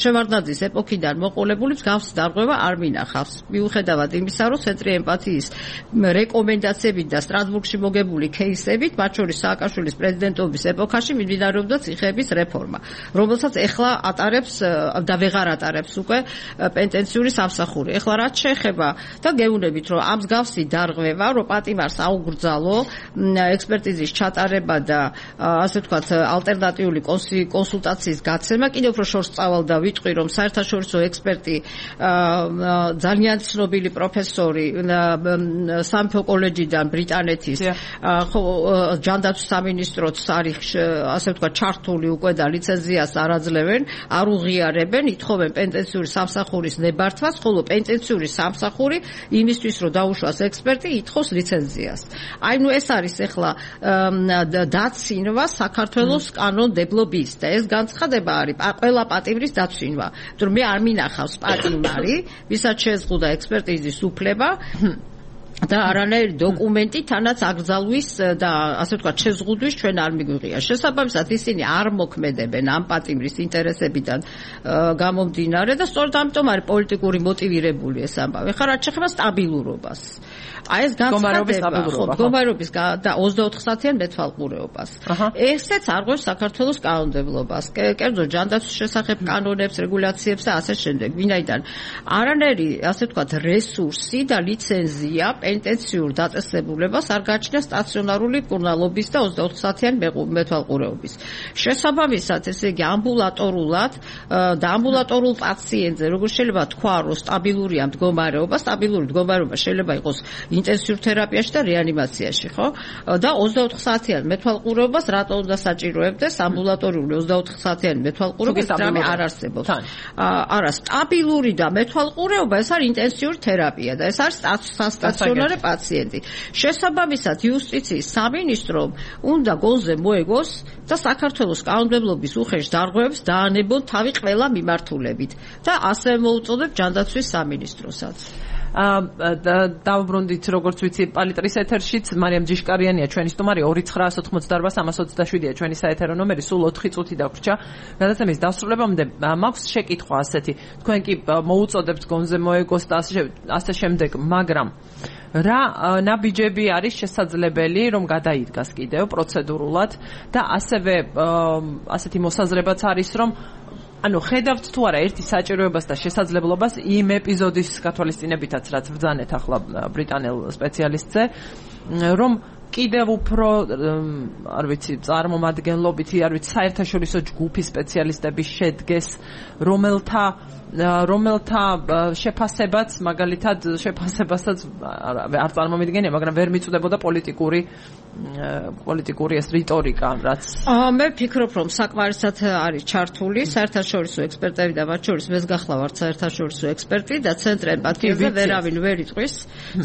F: შევარდნაძის ეპოქიდან პარტიიდან მოყოლებული მსგავსი დარღვევა არ მინახავს. მიუხედავად იმისა, რომ ცენტრი ემპათიის რეკომენდაციებით და სტრასბურგში მოგებული кейსებით, მათ შორის სააკაშვილის პრეზიდენტობის ეპოქაში მიმდინარეობდა ციხეების რეფორმა, რომელსაც ეხლა ატარებს და ვეღარ ატარებს უკვე პენტენციური სამსახური. ეხლა რაც შეეხება და გეუბნებით, რომ ამ მსგავსი დარღვევა, რომ პატიმარს აუგრძალო ექსპერტიზის ჩატარება და ასე ვთქვათ ალტერნატიული კონსულტაციის გაცემა, კიდევ უფრო შორს წავალ და ვიტყვი, რომ საერთაშორისო ექსპერტი ძალიან ცნობილი პროფესორი სამეფო კოლეჯიდან ბრიტანეთის ჯანდაცვის სამინისტროც არის ასე ვთქვათ ჩართული უკვე და ლიცენზიას არ აძლევენ, არ უღიარებენ, ითხოვენ პენტენციური სამსახურის ნებართვას, ხოლო პენტენციური სამსახური იმისთვის რომ დაუშვას ექსპერტი ითხოვს ლიცენზიას. აი ნუ ეს არის ახლა დაცინვა საქართველოს კანონმდებლობის და ეს განცხადება არის ყველა პატიმრის დაცინვა. თუ მე არ მინახავს პატიმარი, ვისაც შეზღუდა ექსპერტიზის უფლება და არანაირი დოკუმენტი თანაც აკრძალვის და ასე ვთქვათ შეზღუდვის ჩვენ არ მიგვიღია. შესაბამისად ისინი არ მოქმედებენ ამ პატიმრის ინტერესებიდან გამომდინარე და სწორედ ამიტომ არის პოლიტიკური მოტივირებული ეს ამბავი. ხა რაც შეეხება სტაბილურობას. აი ეს განცხადება მდგომარეობის და 24 საათიან მეთვალყურეობას. ესეც არღვევს საქართველოს კანონმდებლობას, კერძო ჯანდაცვის შესახებ კანონებს, რეგულაციებს და ასე შემდეგ. ვინაიდან არანაირი ასე ვთქვათ რესურსი და ლიცენზია პენტენციურ დაწესებულებას არ გააჩნია სტაციონარული მკურნალობის და 24 საათიანი მეთვალყურეობის. შესაბამისად, ესე იგი ამბულატორულად და ამბულატორულ პაციენტზე როგორ შეიძლება თქვა, რომ სტაბილურია მდგომარეობა, სტაბილური მდგომარეობა შეიძლება იყოს ინტენსიურ თერაპიაში და რეანიმაციაში, ხო? და 24 საათიან მეთვალყურეობას რატო უნდა საჭიროებდეს ამბულატორიული 24 საათიანი მეთვალყურეობა რამე არ არსებობს. არა, სტაბილური და მეთვალყურეობა ეს არის ინტენსიური თერაპია და ეს არის სტაციონარი პაციენტი. შესაბამისად, იუსტიციის სამინისტრომ უნდა გონზე მოეგოს და საქართველოს კანონმდებლობის უხეშ დარღვევებს დაანებონ თავი ყველა მიმართულებით და ასე მოუწოდებ ჯანდაცვის სამინისტროსაც.
A: დავბრუნდით როგორც ვიცი პალიტრის ეთერშიც მარიამ ჯიშკარიანია ჩვენი სტუმარი 2988-327-ია ჩვენი საეთერო ნომერი სულ 4 წუთი დაგვრჩა გადაცემის დასრულებამდე მაქვს შეკითხვა ასეთი თქვენ კი მოუწოდებთ გონზე მოეგოს და ასე შემდეგ მაგრამ რა ნაბიჯები არის შესაძლებელი რომ გადაიდგას კიდევ პროცედურულად და ასევე ასეთი მოსაზრებაც არის რომ ანუ ხედავთ თუ არა ერთი საჭიროებას და შესაძლებლობას იმ ეპიზოდის გათვალისწინებითაც რაც ბრძანეთ ახლა ბრიტანელ სპეციალისტზე რომ კიდევ უფრო არ ვიცი წარმომადგენლობითი არ ვიცი საერთაშორისო ჯგუფის სპეციალისტები შედგეს რომელთა შეფასებაც მაგალითად შეფასებასაც არ წარმომიდგენია მაგრამ ვერ მიწვდებოდა პოლიტიკური ეს რიტორიკა რაც
F: მე ვფიქრობ რომ საკმარისად არის ჩართული საერთაშორისო ექსპერტები და მათ შორის მე გახლავართ საერთაშორისო ექსპერტი და ცენტრ ემპათიაზე ვერავინ ვერ იტყვის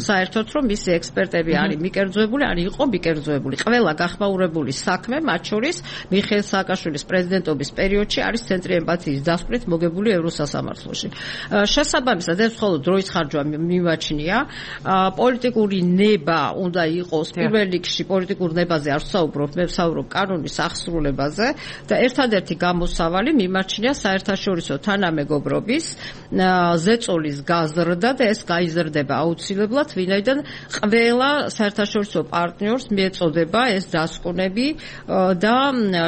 F: საერთოდ რომ მისი ექსპერტები არის მიკერძოებული არ იყო მიკერძოებული ყველა გახმაურებული საქმე მათ შორის მიხეილ სააკაშვილის პრეზიდენტობის პერიოდში არის ცენტრი ემპათიის დასკვნით მოგებული ევროსასამართლოში შესაბამისად ეს მხოლოდ დროის ხარჯვა მიმაჩნია პოლიტიკური ნება უნდა იყოს პირველ რიგში პოლიტიკურ ნებაზე არ ვსაუბრობ მე ვსაუბრობ კანონის აღსრულებაზე და ერთადერთი გამოსავალი მიმაჩნია საერთაშორისო თანამეგობრობის ზეწოლის გაზრდა და ეს გაიზრდება აუცილებლად ვინაიდან ყველა საერთაშორისო პარტნიორს მიეწოდება ეს დასკვნები და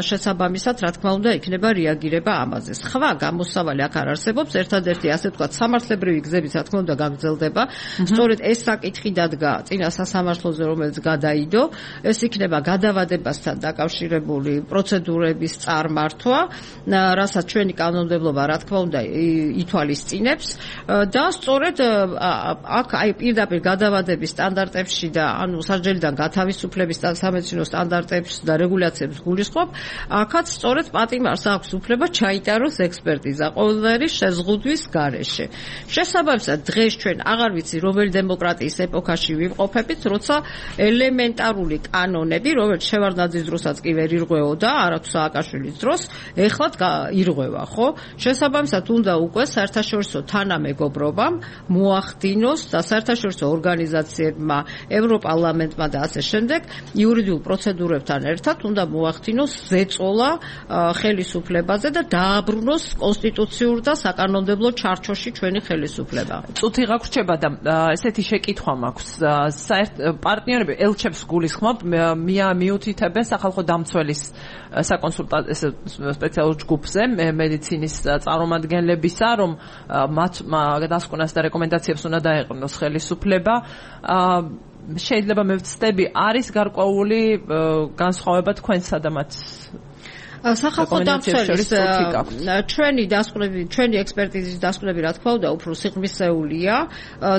F: შესაბამისად რა თქმა უნდა იქნება რეაგირება ამაზე. სხვა გამოსავალი აქ არ არსებობს ერთადერთი ასე ვთქვათ სამართლებრივი გზებით რა თქმა უნდა გაგრძელდება. სწორედ ეს საკითხი დადგა წინა სასამართლოზე რომელიც გადაიდო ეს იქნება გადავადებასთან დაკავშირებული პროცედურების წარმართვა, რასაც ჩვენი კანონმდებლობა რა თქმა უნდა ითვალისწინებს და სწორედ აქ აი პირდაპირ გადავადების სტანდარტებში და ანუ სასჯელიდან გათავისუფლების სამედიცინო სტანდარტებს და რეგულაციებს გულისხმობ, აქაც სწორედ პატიმარს აქვს უფლება ჩაიტაროს ექსპერტიზა ყოველდღიური შეზღუდვის გარეშე. შესაბამისად დღეს ჩვენ აღარ ვიცი რომელი დემოკრატიის ეპოქაში ვიმყოფებით, როცა ელემენტარული კანონები, რომელიც შევარდნაძის დროსაც კი ვერ ირღვეოდა, არათუ სააკაშვილის დროს, ეხლაც ირღვევა, ხო? შესაბამისად უნდა უკვე საერთაშორისო თანამეგობრობამ მოახდინოს და საერთაშორისო ორგანიზაციებმა, ევროპარლამენტმა და ასე შემდეგ იურიდიულ პროცედურებთან ერთად უნდა მოახდინოს ზეწოლა ხელისუფლებაზე და დააბრუნოს კონსტიტუციურ და საკანონმდებლო საკანონმდებლო ჩარჩოში ჩვენი ხელისუფლება.
A: წუთი გაგვრჩება და ესეთი შეკითხვა მაქვს. პარტნიორები ელჩებს გულისხმობ მიუთითებენ სახალხო დამცველის საკონსულტაციო სპეციალურ ჯგუფზე მედიცინის წარმომადგენლებისა, რომ მათ დასკვნას და რეკომენდაციებს უნდა დაეყრდნოს ხელისუფლება. შეიძლება მე ვცდები, არის გარკვეული განსხვავება თქვენსა და მათ
F: სახალხო დამცველის ჩვენი ექსპერტიზის დასკვნები რა თქმა უნდა უფრო სიღრმისეულია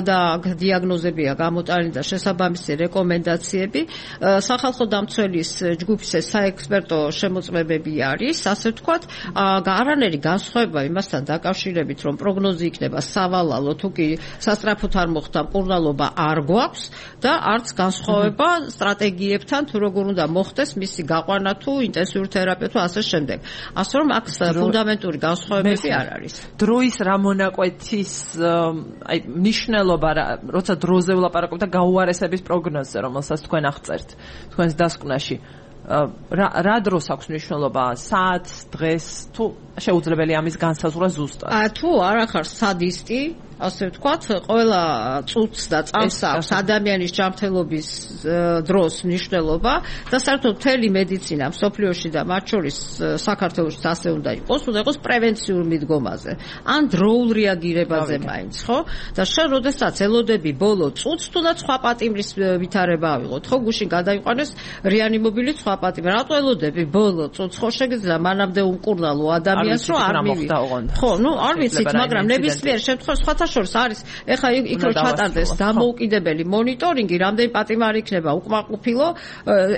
F: და დიაგნოზებია გამოტანილი და შესაბამისი რეკომენდაციები. სახალხო დამცველის ჯგუფის საექსპერტო შემოწმებები არის, ასე ვთქვათ, არანაირი განსხვავება იმასთან დაკავშირებით, რომ პროგნოზი იქნება სავალალო, თუ კი სასწრაფოდ არ მოხდა მკურნალობა არ გვაქვს და არც განსხვავება სტრატეგიებთან, თუ როგორ უნდა მოხდეს მისი გაყვანა თუ ინტენსიური თერაპია თუ ასე შემდეგ. ასე რომ აქ ფუნდამენტური განსხვავებები არ არის.
A: დროის რა მონაკვეთის მნიშვნელობა, როცა დროზე ვლაპარაკობ და გაუარესების პროგნოზზე, რომელსაც თქვენ აღწერთ თქვენს დასკვნაში. რა დროს აქვს მნიშვნელობა? საათს, დღეს, თუ შეუძლებელია ამის განსაზღვრა ზუსტად?
F: თუ არ ახარ სადისტი, ასე ვთქვათ, ყველა წუთს და წამს აქვს ადამიანის ჯანმრთელობის დროს მნიშვნელობა და საერთოდ მთელი მედიცინა მსოფლიოში და მათ შორის საქართველოშიც ასე უნდა იყოს პრევენციულ მიდგომაზე. ან დროულ რეაგირებაზე მაინც, ხო? და შენ როდესაც ელოდები ბოლო წუთს, თუნდაც სხვა პატიმრის ვითარება ავიღოთ, ხო, გუშინ გადაიყვანეს რეანიმობილი სხვა პატიმრი. რატო ელოდები ბოლო წუთს? ხო, შეგიძლია მანამდე უმკურნალო ადამიანს რომ არ მივიდა. ხო, არ ვიცით, მაგრამ ნებისმიერ შემთხვევაში სხვათა შორის არის ეხლა იქ რო ჩატარდეს დამოუკიდებელი მონიტორინგი, რამდენი პატიმარი იქნება უკმაყოფილო,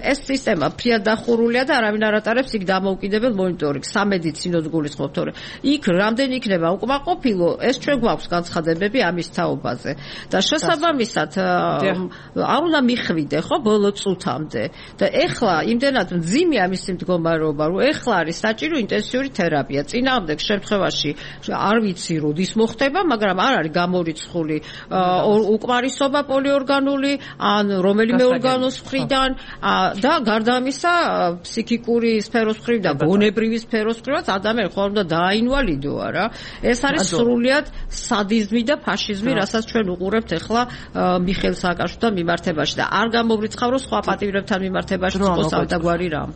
F: ეს სისტემა ფრიად დახურულია და არავინ არ ატარებს იქ დამოუკიდებელ მონიტორინგს, სამედიცინოდ გულისხმობ, თორე იქ რამდენი იქნება უკმაყოფილო, ეს ჩვენ გვაქვს განცხადებები ამის თაობაზე. და შესაბამისად არ უნდა მიხვიდე, ხო, ბოლო წუთამდე. და ეხლა იმდენად მძიმე ამის მდგომარეობა, რომ ეხლა არის საჭირო ინტენსიური თერაპია. წინააღმდეგ შემთხვევაში არ ვიცი როდის მოხდება, მაგრამ არ არის გამორიცხული უკმარისობა პოლიორგანული ან რომელიმე ორგანოს მხრიდან და გარდა ამისა ფსიქიკური სფეროს მხრიდან და გონებრივი სფეროს მხრიდან ადამიანი ხომ უნდა დააინვალიდო არა? ეს არის სრულიად სადიზმი და ფაშიზმი, რასაც ჩვენ უყურებთ ახლა მიხეილ სააკაშვილთან მიმართებაში და არ გამოვრიცხავრო სხვა პატიმრებთან მიმართებაში იყოს თავდაგვარი რამ.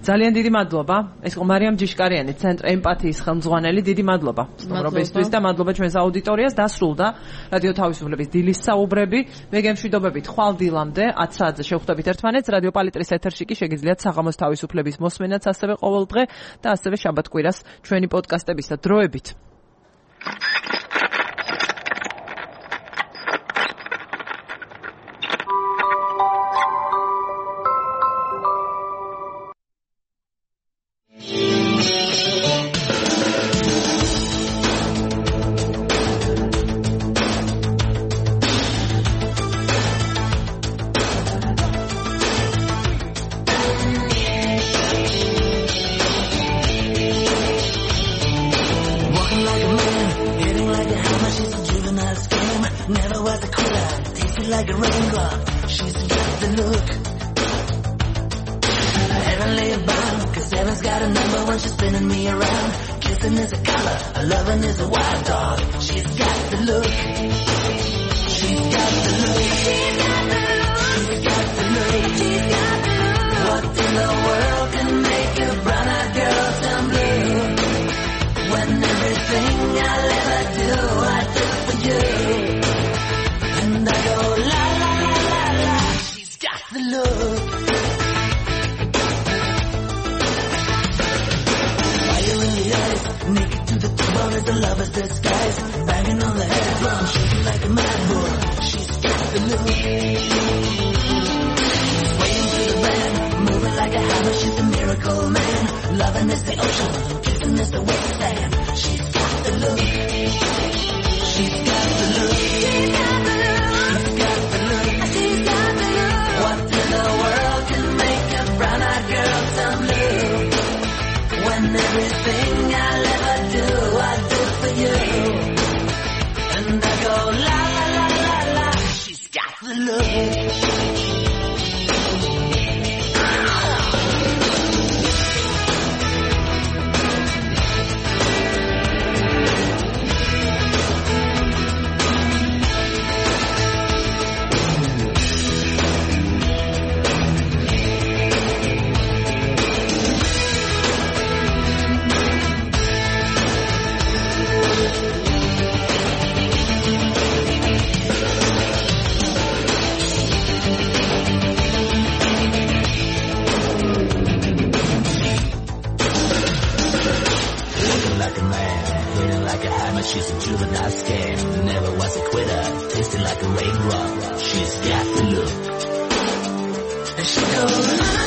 A: ძალიან დიდი მადლობა. ეს იყო მარიამ ჯიშკარიანი, ცენტრ ემპათიის ხელმძღვანელი. დიდი მადლობა სტუმრობისთვის და მადლობა ჩვენს აუდიტორიას. დასრულდა რადიო თავისუფლების დილის საუბრები. მე გემშვიდობებით ხვალ დილამდე 10 საათზე შევხვდებით ერთმანეთს. რადიო პალიტრის ეთერში კი შეგიძლიათ საღამოს თავისუფლების მოსმენაც ასევე ყოველდღე და ასევე შაბათ-კვირას ჩვენი პოდკასტებისა დროებით.
G: Like a raindrop, she's got the look. Heavenly bound, 'cause heaven's got a number when she's spinning me around. Kissing is a color, a loving is a wild dog. She's got the look. She's got the look. She's got the look. She's got the look. She's got the look. What in the world can make a brown-eyed girl turn blue? When everything I'll ever do, I do for you. And I go la la la la la. She's got the look. Fire in the eyes, naked to the bone as a lover's disguise. Banging on the head drum, shaking like a mad bull. She's got the look. Swaying through the band, moving like a hammer. She's a miracle man. Loving is the ocean, kissing is the wet sand. She's got the look. She's got the look. She's got the look. What in the world can make a brown-eyed girl turn blue? When everything I'll ever do, I do for you. And I go la la la la la. She's got the look. She's got the look. And she goes,